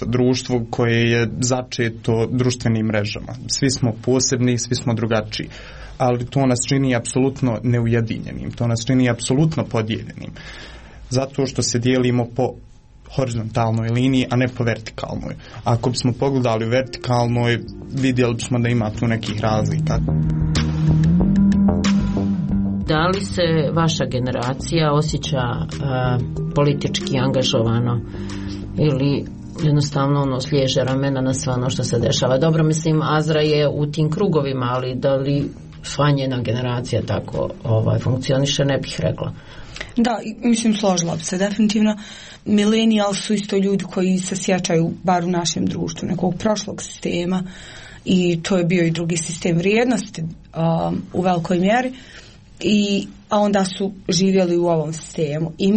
društvo koje je začeto društvenim mrežama. Svi smo posebni, svi smo drugačiji, ali to nas čini apsolutno neujedinjenim, to nas čini apsolutno podijeljenim, zato što se dijelimo po horizontalnoj liniji, a ne po vertikalnoj. Ako bismo pogledali u vertikalnoj, vidjeli bismo da ima tu nekih razlika. Da li se vaša generacija osjeća politički angažovano ili jednostavno sliježe ramena na sve ono što se dešava? Dobro, mislim, Azra je u tim krugovima, ali da li sva njena generacija tako funkcioniše, ne bih rekla. Da, mislim, složila bi se definitivno. Millennials su isto ljudi koji se sjećaju, bar u našem društvu, nekog prošlog sistema, i to je bio i drugi sistem vrijednosti u velikoj mjeri, a onda su živjeli u ovom sistemu. I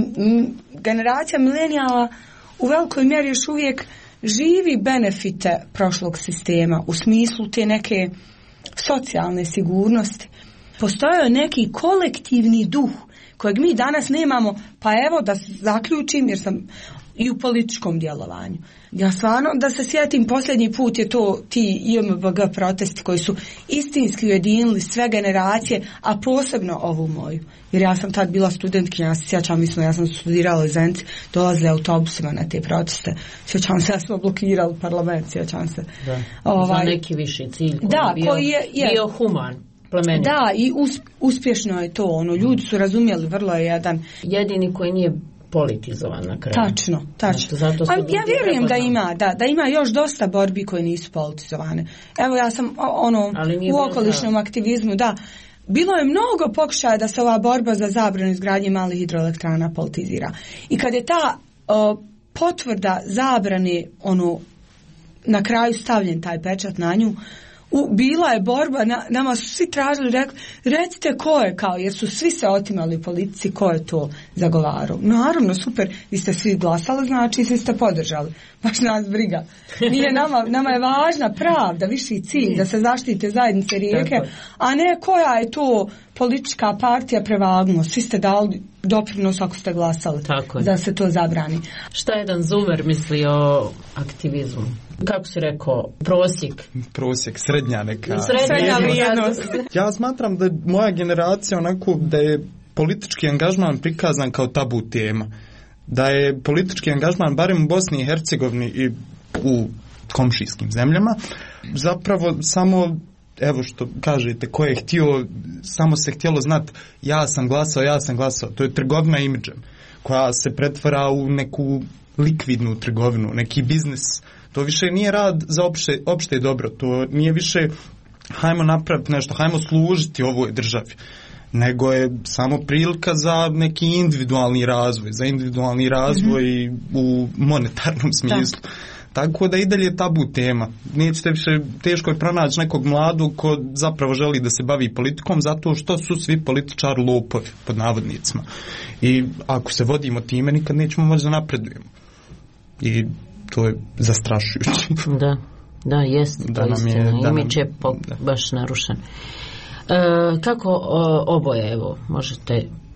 generacija milenijala u velikoj mjeri još uvijek živi benefite prošlog sistema u smislu te neke socijalne sigurnosti. Postojao je neki kolektivni duh kojeg mi danas nemamo, pa evo da zaključim, jer sam i u političkom djelovanju. Ja stvarno da se sjetim, posljednji put je to ti IMBG protesti koji su istinski ujedinili sve generacije, a posebno ovu moju. Jer ja sam tad bila studentkinja, ja se sjećam, ja sam studirala u Zenci, dolazila autobusima na te proteste. Sjećam se, ja smo blokirali parlament, sjećam se. Da, za neki viši cilj koji je bio human. Plemenit. Da, i uspješno je to, ljudi su razumjeli, vrlo je jedan... Jedini koji nije politizovan na kraju. Tačno. Ja vjerujem da ima još dosta borbi koje nisu politizovane. Evo, ja sam u okolišnom aktivizmu, bilo je mnogo pokušaja da se ova borba za zabranu izgradnje malih hidroelektrana politizira. I kad je ta potvrda zabrane, na kraju stavljen taj pečat na nju, bila je borba, nama su svi tražili, recite ko je, jer su svi se otimali u politici, ko je to zagovarao. Naravno, super, vi ste svi glasali, znači svi ste podržali. Baš nas briga. Nije nama je važna pravda, viši cilj, da se zaštite zajednice rijeke, a ne koja je to politička partija prevagnuo. Svi ste dali doprinos ako ste glasali da se to zabrani. Šta jedan Zumer misli o aktivizmu? Kako si rekao, prosjek, srednja neka. Srednja vrijednost. Ja smatram da je moja generacija da je politički angažman prikazan kao tabu tema. Da je politički angažman, barem u Bosni i Hercegovini i u komšijskim zemljama, zapravo samo, evo što kažete, ko je htio, samo se htjelo znati ja sam glasao. To je trgovina imidžem koja se pretvara u neku likvidnu trgovinu, neki biznis. To više nije rad za opšte dobro, to nije više hajmo napraviti nešto, hajmo služiti ovoj državi, nego je samo prilika za neki individualni razvoj u monetarnom smislu. Tako da i dalje je tabu tema. Nećete više, teško je pronaći nekog mladog ko zapravo želi da se bavi politikom, zato što su svi političari lopovi, pod navodnicima. I ako se vodimo time, nikad nećemo moći da napredujemo. I to je zastrašujuće. Da, jest, to je istina. Imidž je baš narušen. Kako oboje, evo,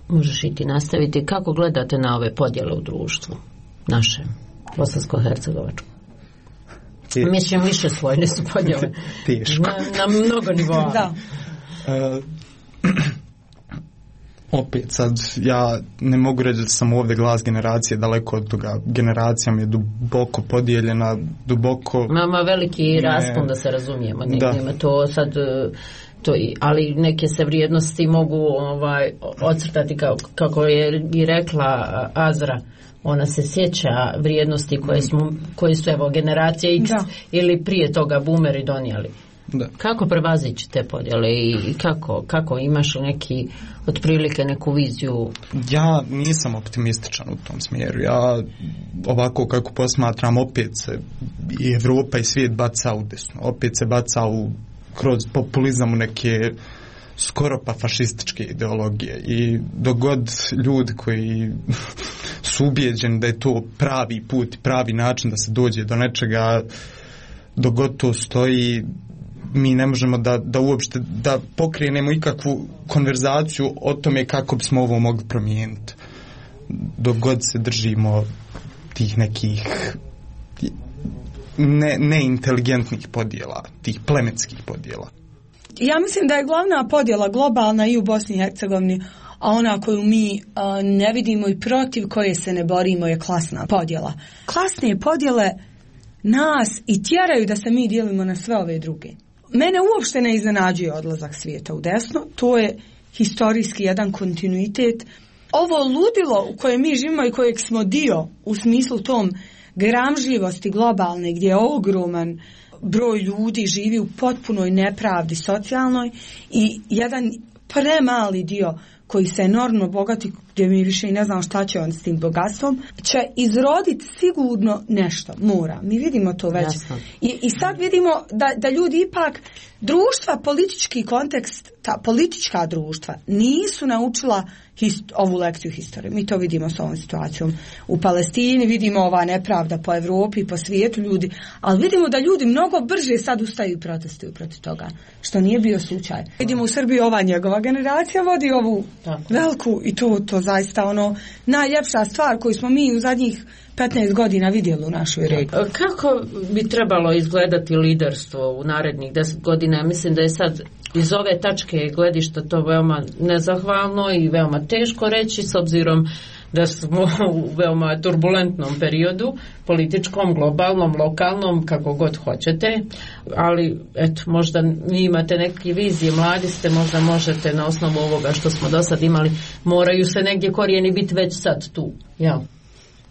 možeš i ti nastaviti, kako gledate na ove podjele u društvu našem, bosansko-hercegovačkom? Mislim, više slojne su podjele. Teško. Na mnogo nivoa. Da. Opet sad, ja ne mogu reći da sam ovdje glas generacije, daleko od toga. Generacija mi je duboko podijeljena, Mama veliki raspon, da se razumijemo. Nema to sad... ali neke se vrijednosti mogu ocrtati kako je i rekla Azra, ona se sjeća vrijednosti koje su evo generacije X ili prije toga boomeri donijeli. Da. Kako prevazići te podjele i kako imaš neki otprilike neku viziju? Ja nisam optimističan u tom smjeru. Ja ovako kako posmatram, opet se i Evropa i svijet baca u desno. Opet se baca kroz populizam u neke skoro pa fašističke ideologije. I dok god ljudi koji su ubijeđeni da je to pravi put, pravi način da se dođe do nečega, dok god to stoji, mi ne možemo da uopšte da pokrenemo ikakvu konverzaciju o tome kako bismo ovo mogli promijeniti. Dok god se držimo tih nekih neinteligentnih podjela, tih plemenskih podjela. Ja mislim da je glavna podjela globalna i u Bosni i Hercegovini, a ona koju mi ne vidimo i protiv koje se ne borimo je klasna podjela. Klasne podjele nas i tjeraju da se mi dijelimo na sve ove druge. Mene uopšte ne iznenađuje odlazak svijeta u desno, to je historijski jedan kontinuitet. Ovo ludilo u kojem mi živimo i kojeg smo dio u smislu tom gramžljivosti globalne, gdje je ogroman broj ljudi živi u potpunoj nepravdi socijalnoj i jedan premali dio koji se enormno bogati, gdje mi više i ne znam šta će on s tim bogatstvom, će izroditi sigurno nešto, mora. Mi vidimo to već. I sad vidimo da ljudi ipak, društva, politički kontekst, ta politička društva nisu naučila ovu lekciju historije. Mi to vidimo s ovom situacijom u Palestini, vidimo ova nepravda po Evropi, po svijetu ljudi, ali vidimo da ljudi mnogo brže sad ustaju i protestuju protiv toga, što nije bio slučaj. Vidimo u Srbiji ova njegova generacija vodi ovu veliku i to zaista ono najljepša stvar koju smo mi u zadnjih 15 godina vidjeli u našoj regiji. Kako bi trebalo izgledati liderstvo u narednih 10 godina? Ja mislim da je sad iz ove tačke gledišta to veoma nezahvalno i veoma teško reći, s obzirom da smo u veoma turbulentnom periodu, političkom, globalnom, lokalnom, kako god hoćete, ali eto, možda vi imate neke vizije, mladi ste, možda možete na osnovu ovoga što smo do sad imali, moraju se negdje korijeni biti već sad tu, ja.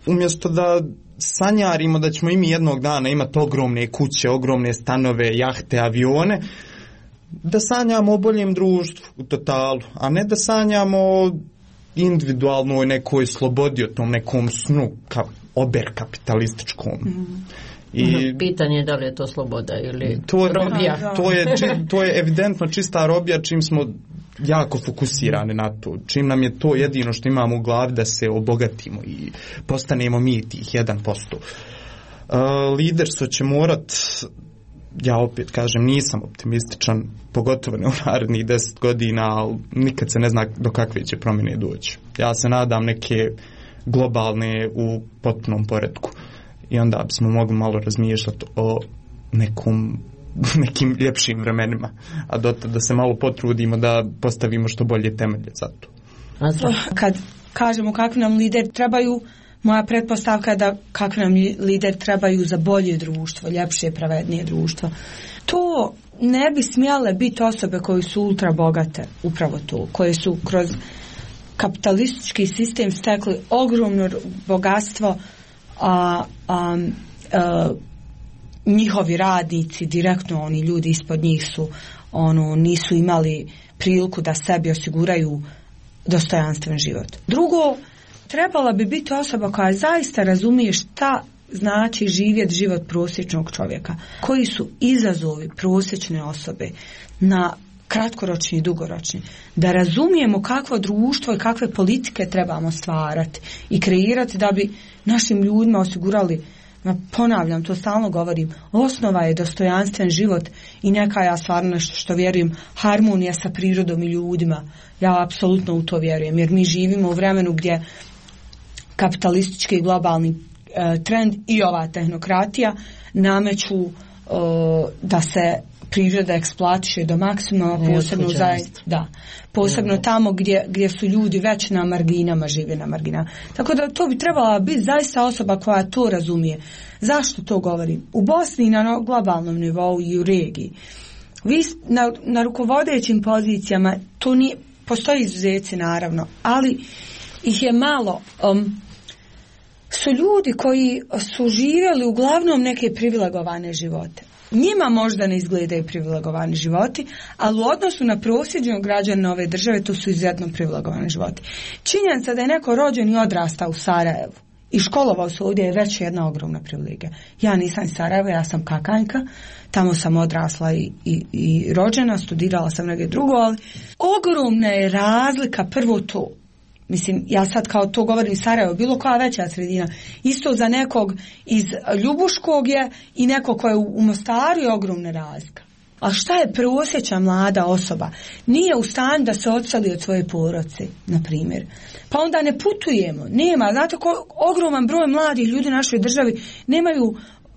Umjesto da sanjarimo da ćemo i mi jednog dana imati ogromne kuće, ogromne stanove, jahte, avione, da sanjamo o boljem društvu u totalu, a ne da sanjamo o individualnoj nekoj slobodi, o tom nekom snu oberkapitalističkom. I pitanje je da li je to sloboda ili robija. To je evidentno čista robija, čim smo jako fokusirani na to, čim nam je to jedino što imamo u glavi da se obogatimo i postanemo mi tih 1%. Liderstvo će morat, ja opet kažem, nisam optimističan, pogotovo ne u narednih 10 godina, ali nikad se ne zna do kakve će promjene doći. Ja se nadam neke globalne u potpunom poretku i onda bismo mogli malo razmišljati o nekim ljepšim vremenima, a dotad da se malo potrudimo da postavimo što bolje temelje za to. Kad kažemo kakvi nam lideri trebaju, moja pretpostavka je da kakvi nam lideri trebaju za bolje društvo, ljepše, pravednije društvo. To ne bi smjele biti osobe koje su ultra bogate, upravo to, koje su kroz kapitalistički sistem stekli ogromno bogatstvo, njihovi radnici, direktno oni ljudi ispod njih su nisu imali priliku da sebi osiguraju dostojanstven život. Drugo, trebala bi biti osoba koja zaista razumije šta znači živjeti život prosječnog čovjeka. Koji su izazovi prosječne osobe na kratkoročni i dugoročni. Da razumijemo kakvo društvo i kakve politike trebamo stvarati i kreirati da bi našim ljudima osigurali, ponavljam, to stalno govorim, osnova je dostojanstven život i neka, ja stvarno nešto što vjerujem, harmonija sa prirodom i ljudima. Ja apsolutno u to vjerujem, jer mi živimo u vremenu gdje kapitalistički i globalni trend i ova tehnokratija nameću da se priroda eksploatiše do maksimuma, posebno tamo gdje su ljudi već na marginama, žive na marginama. Tako da to bi trebala biti zaista osoba koja to razumije. Zašto to govorim? U Bosni na globalnom nivou i u regiji. Vi na rukovodećim pozicijama, to nije, postoji izuzeci naravno, ali ih je malo. Su ljudi koji su živjeli uglavnom neke privilegovane živote. Njima možda ne izgledaju privilegovani životi, ali u odnosu na prosječnog građana ove države to su izuzetno privilegovani životi. Činjenica da je neko rođen i odrastao u Sarajevu i školovao se ovdje je već jedna ogromna privilegija. Ja nisam iz Sarajeva, ja sam Kakanjka, tamo sam odrasla i rođena, studirala sam negdje drugo, ali ogromna je razlika, prvo to. Mislim, ja sad kao to govorim Sarajevo, bilo koja veća sredina. Isto za nekog iz Ljubuškog je i neko ko je u Mostaru je ogromna razlika. A šta je prosječna mlada osoba? Nije u stanju da se odseli od svoje porodice, na primjer. Pa onda ne putujemo. Nema, znate, ogroman broj mladih ljudi u našoj državi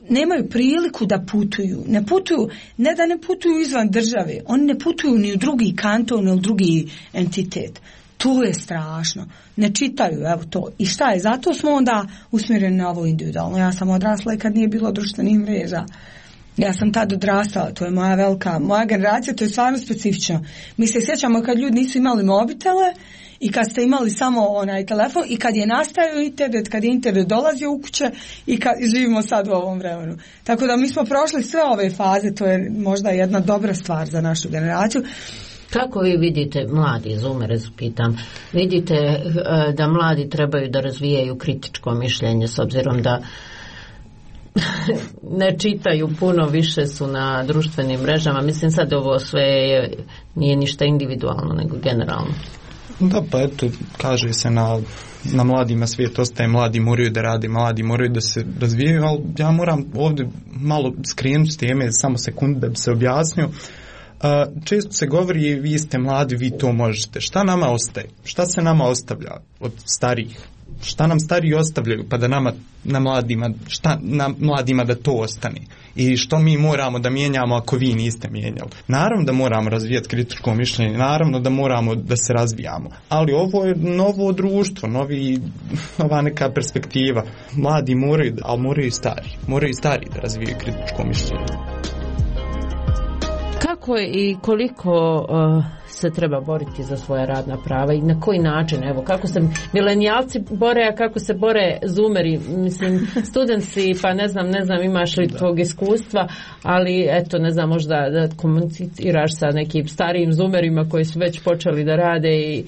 nemaju priliku da putuju. Ne da ne putuju izvan države, oni ne putuju ni u drugi kanton, ni u drugi entitet. To je strašno. Ne čitaju, evo to. I šta je? Zato smo onda usmjereni na ovo individualno. Ja sam odrasla i kad nije bilo društvenih mreža. Ja sam tad odrastala, to je moja generacija, to je stvarno specifično. Mi se sjećamo kad ljudi nisu imali mobitele i kad ste imali samo onaj telefon i kad je nastajao internet, kad je internet dolazio u kuće i kad živimo sad u ovom vremenu. Tako da mi smo prošli sve ove faze, to je možda jedna dobra stvar za našu generaciju. Kako vi vidite, mladi zoomere pitam, vidite da mladi trebaju da razvijaju kritičko mišljenje s obzirom da ne čitaju puno, više su na društvenim mrežama. Mislim sad ovo sve nije ništa individualno nego generalno. Da, pa eto, kaže se na mladima svijet ostaje, mladi moraju da rade, mladi moraju da se razvijaju, ali ja moram ovdje malo skrenuti s teme, samo sekundu da bi se objasnio. Često se govori, vi ste mladi, vi to možete. Šta nama ostaje? Šta se nama ostavlja od starijih? Šta nam stariji ostavljaju pa da nama, na mladima da to ostane? I što mi moramo da mijenjamo ako vi niste mijenjali? Naravno da moramo razvijati kritičko mišljenje, naravno da moramo da se razvijamo, ali ovo je novo društvo, nova neka perspektiva. Mladi moraju, ali moraju i stari da razvijaju kritičko mišljenje. Kako i koliko se treba boriti za svoja radna prava i na koji način, evo, kako se milenijalci bore, a kako se bore zoomeri, mislim, studenti, pa ne znam imaš li tog iskustva, ali eto, ne znam, možda da komuniciraš sa nekim starijim zoomerima koji su već počeli da rade i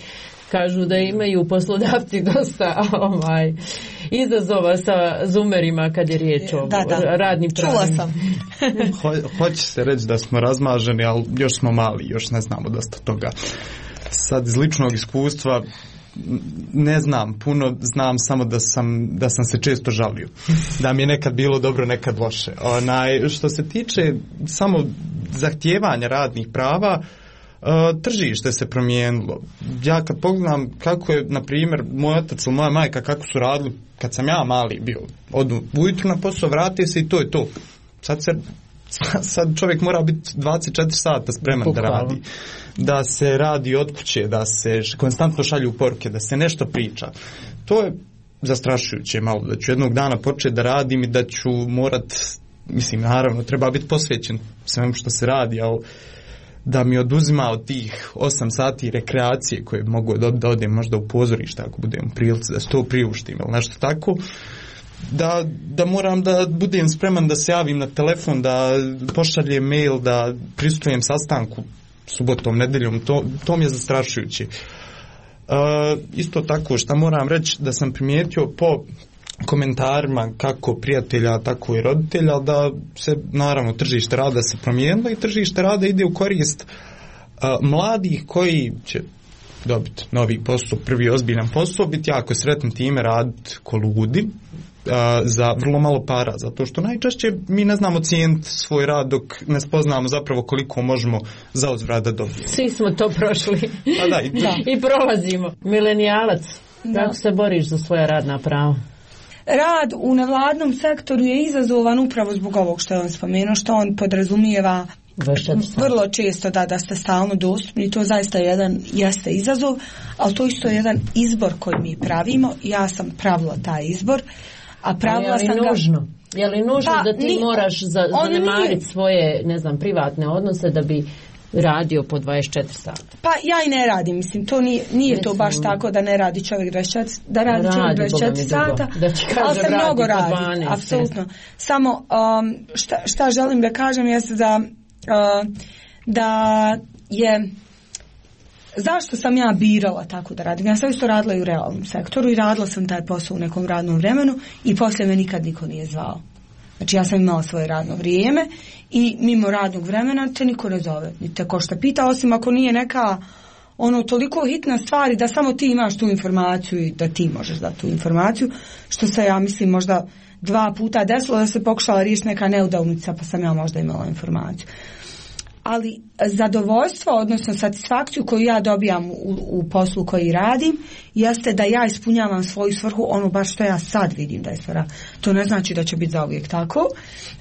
kažu da imaju poslodavci dosta izazova sa zoomerima kad je riječ o radnim pravima. Čula sam. Hoće se reći da smo razmaženi, ali još smo mali, još ne znamo dosta toga. Sad iz ličnog iskustva ne znam puno, znam samo da sam se često žalio. Da mi je nekad bilo dobro, nekad loše. Što se tiče samo zahtijevanja radnih prava, tržište se promijenilo. Ja kad pogledam kako je, na primjer, moj otac ili moja majka kako su radili kad sam ja mali bio, odu ujutru na posao, vrati se i to je to. Sad čovjek mora biti 24 sata spreman da radi. Da se radi od kuće, da se konstantno šalju poruke, da se nešto priča. To je zastrašujuće malo, da ću jednog dana početi da radim i da ću morat, mislim, naravno, treba biti posvećen svemu što se radi, ali da mi oduzima od tih 8 sati rekreacije koje mogu da odem možda u pozorište ako budem u prilici da se to priuštim ili nešto tako, da moram da budem spreman da se javim na telefon, da pošaljem mail, da prisustujem sastanku subotom, nedeljom, to mi je zastrašujuće. Isto tako što moram reći da sam primijetio po komentarima kako prijatelja, tako i roditelja, da se naravno tržište rada se promijenilo i tržište rada ide u korist mladih koji će dobiti novi posao, prvi ozbiljan posao, biti jako sretni time, raditi ko ludi za vrlo malo para, zato što najčešće mi ne znamo cijeniti svoj rad dok ne spoznamo zapravo koliko možemo za uzvrat da dobijemo. Svi smo to prošli. I prolazimo. Milenijalac, kako se boriš za svoja radna prava? Rad u nevladnom sektoru je izazovan upravo zbog ovog što je on spomenuo, što on podrazumijeva vrlo često da ste stalno dostupni. To zaista jeste izazov, ali to isto je jedan izbor koji mi pravimo. Ja sam pravila taj izbor, a pravila sam ga... Je li nužno da ti moraš zanemariti svoje, ne znam, privatne odnose da bi radio po 24 sata? Pa ja i ne radim, mislim, to nije to baš tako da ne radi čovjek 24 sata, ali se mnogo radi, apsolutno. Samo šta želim da kažem jeste da je zašto sam ja birala tako da radim. Ja sam isto radila i u realnom sektoru i radila sam taj posao u nekom radnom vremenu i poslije me nikad niko nije zvao. Znači ja sam imala svoje radno vrijeme i mimo radnog vremena te niko ne zove, ni te ko šta pita, osim ako nije neka toliko hitna stvar da samo ti imaš tu informaciju i da ti možeš dati tu informaciju, što se ja mislim možda 2 puta desilo da se pokušala riješiti neka neudavnica pa sam ja možda imala informaciju. Ali zadovoljstvo, odnosno satisfakciju koju ja dobijam u poslu koji radim, jeste da ja ispunjavam svoju svrhu, baš što ja sad vidim da je svrha. To ne znači da će biti zauvijek tako,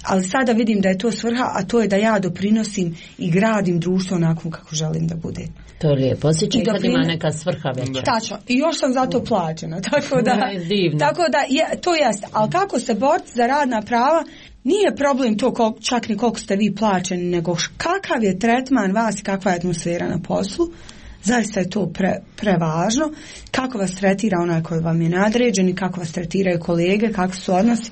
ali sada vidim da je to svrha, a to je da ja doprinosim i gradim društvo onako kako želim da bude. To je lijepo, osjećaj kad ima neka svrha veća. Tačno, i još sam za to plaćena, tako da to jeste. Ali kako se boriti za radna prava, nije problem to čak ni koliko ste vi plaćeni, nego kakav je tretman vas i kakva je atmosfera na poslu. Zaista je to prevažno. Kako vas tretira onaj koji vam je nadređen i kako vas tretiraju kolege, kako su odnosi.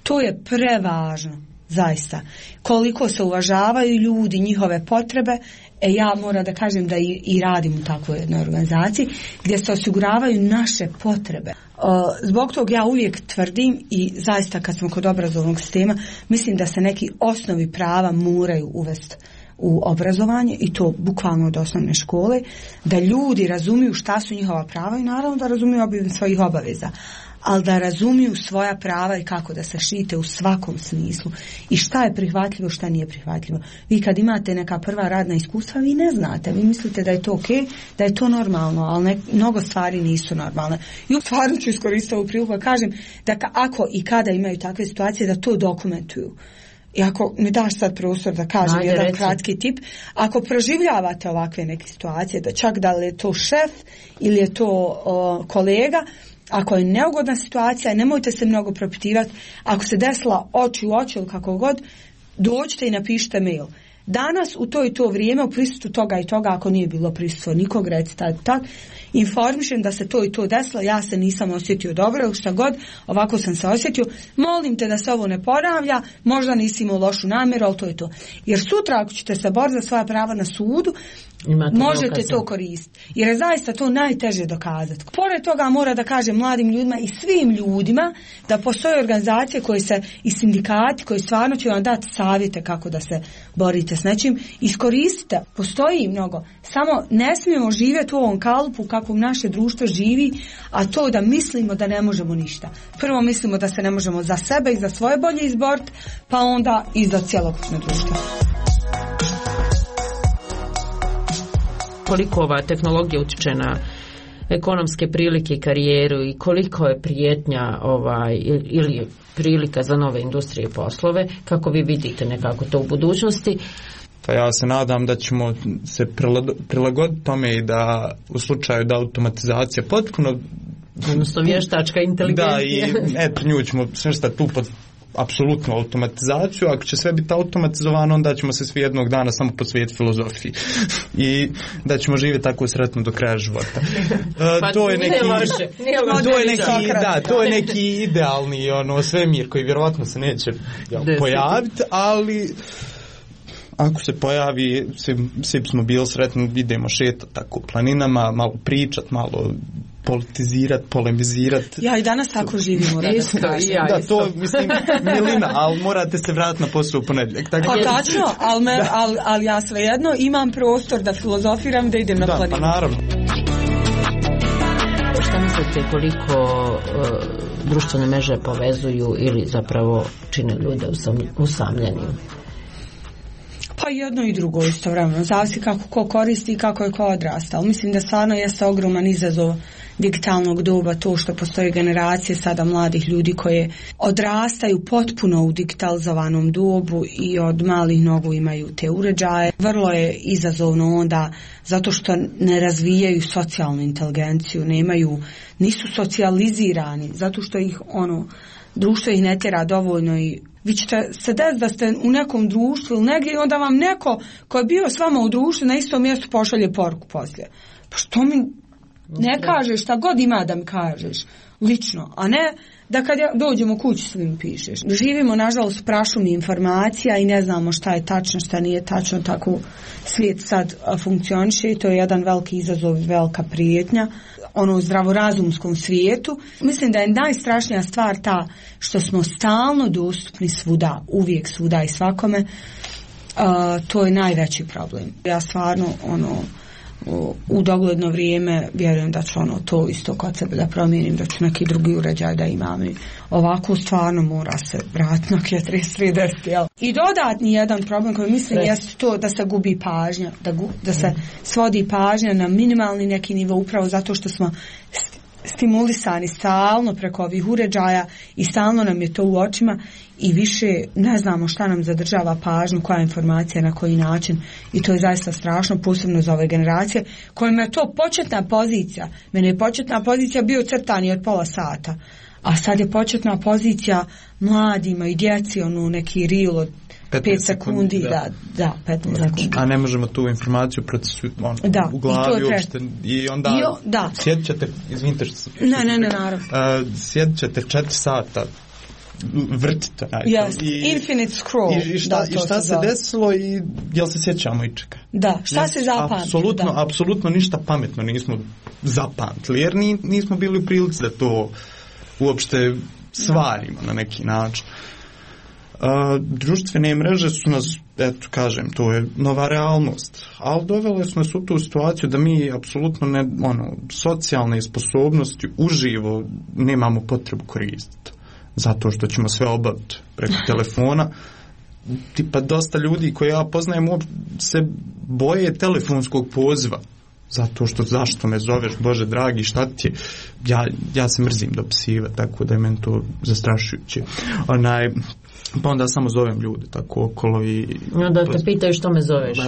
To je prevažno. zaista. Koliko se uvažavaju ljudi, njihove potrebe. Ja moram da kažem da i radim u takvoj jednoj organizaciji gdje se osiguravaju naše potrebe. Zbog toga ja uvijek tvrdim i zaista kad smo kod obrazovnog sistema, mislim da se neki osnovi prava moraju uvesti u obrazovanje i to bukvalno od osnovne škole, da ljudi razumiju šta su njihova prava i naravno da razumiju svojih obaveza, ali da razumiju svoja prava i kako da se štite u svakom smislu i šta je prihvatljivo, šta nije prihvatljivo. Vi kad imate neka prva radna iskustva, vi ne znate, vi mislite da je to okej, da je to normalno, ali mnogo stvari nisu normalne. I stvarno ću iskoristiti ovu priliku da kažem da ako i kada imaju takve situacije, da to dokumentuju. I ako mi daš sad prostor da kažem jedan kratki tip, ako proživljavate ovakve neke situacije, da čak da li je to šef ili je to kolega, ako je neugodna situacija, nemojte se mnogo propitivati. Ako se desila oči u oči ili kako god, dođite i napišite mail. Danas u to i to vrijeme u prisustvu toga i toga, ako nije bilo prisustvo nikog, recite tak, informišem da se to i to desilo, ja se nisam osjetio dobro ili šta god, ovako sam se osjetio, molim te da se ovo ne ponavlja, možda nisi imao lošu namjeru, ali to je to. Jer sutra ako ćete se boriti za svoja prava na sudu, možete to koristiti. Jer je zaista to najteže dokazati. Pored toga mora da kažem mladim ljudima i svim ljudima da postoje organizacije koje se i sindikati koji stvarno će vam dati savjete kako da se borite s nečim. Iskoristite, postoji mnogo. Samo ne smijemo živjeti u ovom kalupu kako naše društvo živi, a to da mislimo da ne možemo ništa. Prvo mislimo da se ne možemo za sebe i za svoje bolje izboriti, pa onda i za cjelokupno društvo. Koliko ova tehnologija utječe na ekonomske prilike i karijeru i koliko je prijetnja ili prilika za nove industrije i poslove, kako vi vidite nekako to u budućnosti? Pa ja se nadam da ćemo se prilagoditi tome i da u slučaju da automatizacija potpuno, odnosno vještačka inteligencija. Da, i nju ćemo smještati tu pod apsolutnu automatizaciju. Ako će sve biti automatizovano, onda ćemo se svi jednog dana samo posvetiti filozofiji i da ćemo živjeti tako sretno do kraja života. To je neki idealni svemir koji vjerovatno se neće pojaviti, ali ako se pojavi, svi smo bili sretni, idemo šetati tako planinama, malo pričat, malo politizirati, polemizirati. Ja i danas tako živimo. Da, to mislim milina, ali morate se vratiti na posao u ponedjeljak. Tačno, ali ja svejedno imam prostor da filozofiram, da idem na planinu. Da, pa naravno. Šta mislite koliko društvene mreže povezuju ili zapravo čine ljude usamljenim? Pa jedno i drugo istovremeno, zavisi kako ko koristi i kako je ko odrastao. Mislim da stvarno jeste ogroman izazov digitalnog doba to što postoje generacije sada mladih ljudi koje odrastaju potpuno u digitalizovanom dobu i od malih nogu imaju te uređaje. Vrlo je izazovno onda zato što ne razvijaju socijalnu inteligenciju, nisu socijalizirani, zato što ih društvo ih ne tjera dovoljno i vi ćete se desiti da ste u nekom društvu ili negdje i onda vam neko ko je bio s vama u društvu na istom mjestu pošalje poruku poslije. Pa što mi ne kažeš šta god ima da mi kažeš lično, a ne da kad dođemo kući svim pišeš. Živimo nažalost prašumi informacija i ne znamo šta je tačno, šta nije tačno, tako svijet sad funkcioniše i to je jedan veliki izazov, velika prijetnja u zdravorazumskom svijetu. Mislim da je najstrašnija stvar ta što smo stalno dostupni svuda, uvijek svuda i svakome. To je najveći problem. Ja stvarno u dogledno vrijeme vjerujem da ću to isto kod sebe da promijenim, da ću neki drugi uređaj da imam i ovako stvarno mora se vratiti na 3310. I dodatni jedan problem koji mislim jest to da se gubi pažnja, da se svodi pažnja na minimalni neki nivo upravo zato što smo stimulisani stalno preko ovih uređaja i stalno nam je to u očima i više ne znamo šta nam zadržava pažnju, koja informacija, na koji način i to je zaista strašno, posebno za ove generacije kojima je to početna pozicija. Mene je početna pozicija bio crtani od pola sata, a sad je početna pozicija mladima i djeci neki reel od 5 sekundi, da 15 sekundi. A ne možemo tu informaciju u glavi uopšte i onda sjedit ćete, izvinite što ne, naravno. Sjedit ćete 4 sata vrtite. Infinite scroll. I šta se desilo i jel se sjećamo ičega? Da, šta se zapamti? Apsolutno ništa pametno nismo zapamtili, jer nismo bili u prilici da to uopšte stvarimo na neki način. Društvene mreže su nas, eto kažem, to je nova realnost, ali dovele su nas u tu situaciju da mi apsolutno socijalne sposobnosti uživo nemamo potrebu koristiti, zato što ćemo sve obaviti preko telefona. Tipa dosta ljudi koje ja poznajem se boje telefonskog poziva, zato što zašto me zoveš, Bože dragi, šta ti je? Ja se mrzim dopisivati, tako da je meni to zastrašujuće. Pa onda samo zovem ljude tako okolo i onda te pitaju što me zoveš.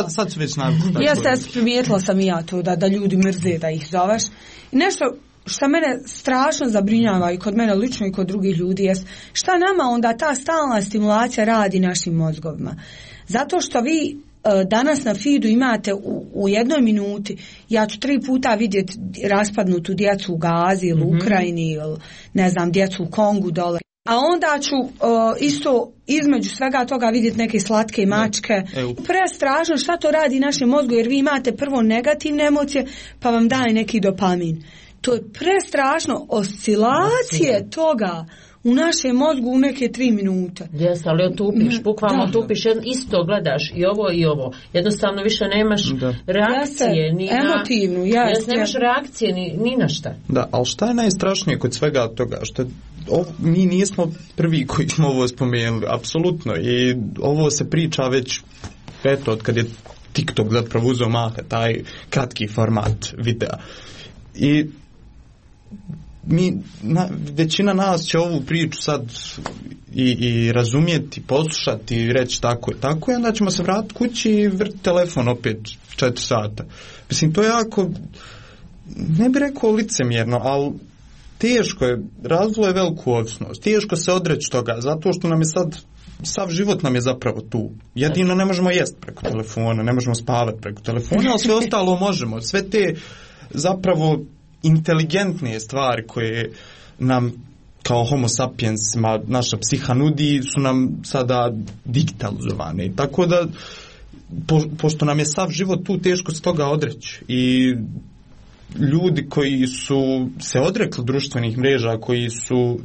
Sad su već navikli. Jeste, primijetila sam i ja to da ljudi mrze da ih zoveš. I nešto što mene strašno zabrinjava i kod mene lično i kod drugih ljudi jest šta nama onda ta stalna stimulacija radi našim mozgovima. Zato što vi danas na feedu imate u jednoj minuti, ja ću 3 puta vidjeti raspadnutu djecu u Gazi ili Ukrajini ili ne znam, djecu u Kongu dole. A onda ću isto između svega toga vidjeti neke slatke mačke. Prestrašno šta to radi našem mozgu, jer vi imate prvo negativne emocije pa vam daje neki dopamin. To je prestrašno, oscilacije toga u našem mozgu u neke 3 minute. Jes, ali otupiš, bukvalno otupiš, isto gledaš i ovo. Jednostavno više nemaš reakcije. Emotivnu, nemaš reakcije ni na šta. Da, ali šta je najstrašnije kod svega toga? Što mi nismo prvi koji smo ovo spomenuli, apsolutno. I ovo se priča već, eto, od kad je TikTok zapravo uzeo maha, taj kratki format videa. I većina nas će ovu priču sad i razumjeti, poslušati i reći tako i onda ćemo se vratiti kući i vrti telefon opet 4 sata. Mislim, to je jako, ne bih rekao licemjerno, ali teško je, razvilo je veliku ovisnost, teško se odreći toga, zato što nam je sad, sav život nam je zapravo tu. Jedino ne možemo jesti preko telefona, ne možemo spavati preko telefona, ali sve ostalo možemo. Sve te zapravo inteligentnije stvari koje nam kao homo sapiensima naša psiha nudi su nam sada digitalizovane. Tako da pošto nam je sav život tu, teško se toga odreći. I ljudi koji su se odrekli društvenih mreža, koji su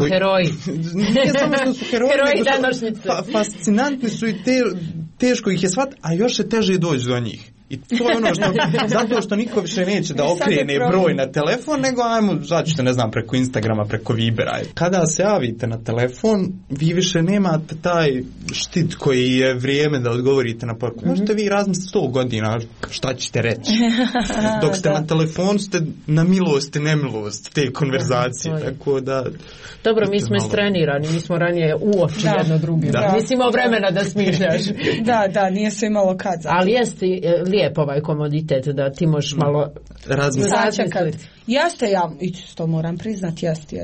heroji. Nije samo što su heroji današnjice. Fascinantni su i teško ih je shvatiti, a još je teže doći do njih. I to je ono što, zato što niko više neće da okrene broj na telefon, nego ajmo, začete, ne znam, preko Instagrama, preko Vibera. Kada se javite na telefon, vi više nemate taj štit koji je vrijeme da odgovorite na poruku. Možete vi razmisliti 100 godina šta ćete reći. Dok ste na telefonu, ste na milost i nemilost te konverzacije. Tako da... Dobro, mi smo istrenirani, mi smo ranije uoči jedno drugim. Nisi imao vremena da smišljaš. Da, nije se imalo kad. Ali jeste lijep ovaj komoditet da ti možeš malo razmisliti. Jeste, ja to moram priznati, jeste.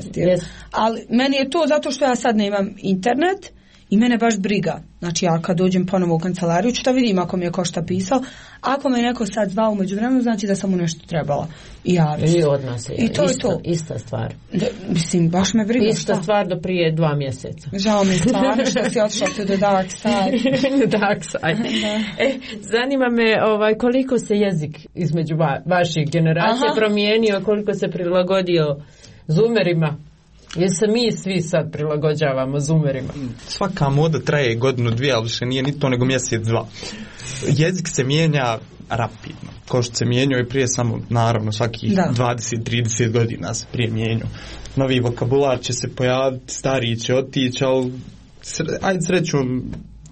Ali meni je to zato što ja sad nemam internet i mene baš briga. Znači ja kad dođem ponovo u kancelariju ću da vidim ako mi je ko šta pisao. Ako me neko sad zvao u međuvremenu, znači da sam mu nešto trebala javiti. I od nas je. I to je to. Ista stvar. Mislim, baš me briga. Ista stvar do prije 2 mjeseca. Žao mi stvarno što si otišla to the dark side. Dark side. Zanima me koliko se jezik između vaših generacija promijenio, koliko se prilagodio zoomerima. Jer se mi svi sad prilagođavamo zoomerima. Svaka moda traje 1-2, ali više nije ni to nego 1-2. Jezik se mijenja rapidno. Kao što se mijenjao i prije, samo naravno svakih 20-30 godina se prije mijenjao. Novi vokabular će se pojaviti, stariji će otići, ali ajde srećom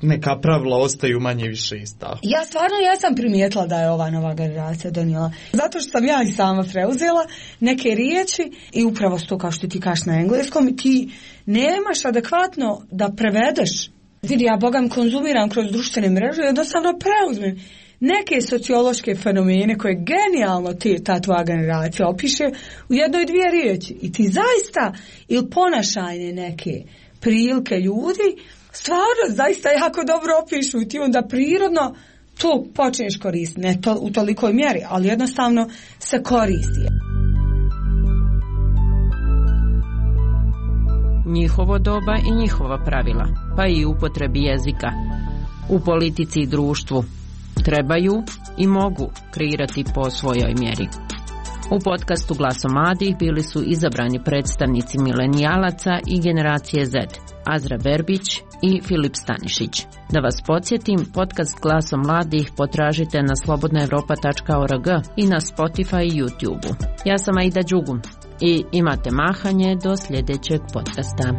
neka pravila ostaju manje više ista. Ja stvarno jesam primijetila da je ova nova generacija donijela. Zato što sam ja i sama preuzela neke riječi i upravo to kao što ti kažeš na engleskom, ti nemaš adekvatno da prevedeš. Vidi, ja bogam konzumiram kroz društvene mreže i jednostavno preuzmem neke sociološke fenomene koje genijalno ta tvoja generacija opiše u 1-2 riječi. I ti zaista ili ponašajne neke prilike ljudi stvarno zaista jako dobro opišu i ti onda prirodno to počneš koristiti. Ne u tolikoj mjeri, ali jednostavno se koristi. njihovo doba i njihova pravila, pa i upotrebi jezika. U politici i društvu trebaju i mogu kreirati po svojoj mjeri. U podcastu Glasom mladih bili su izabrani predstavnici milenijalaca i generacije Z, Azra Verbić i Filip Stanišić. Da vas podsjetim, podcast Glasom mladih potražite na slobodnaevropa.org i na Spotify i YouTube. Ja sam Aida Đugum i imate mahanje do sljedećeg podcasta.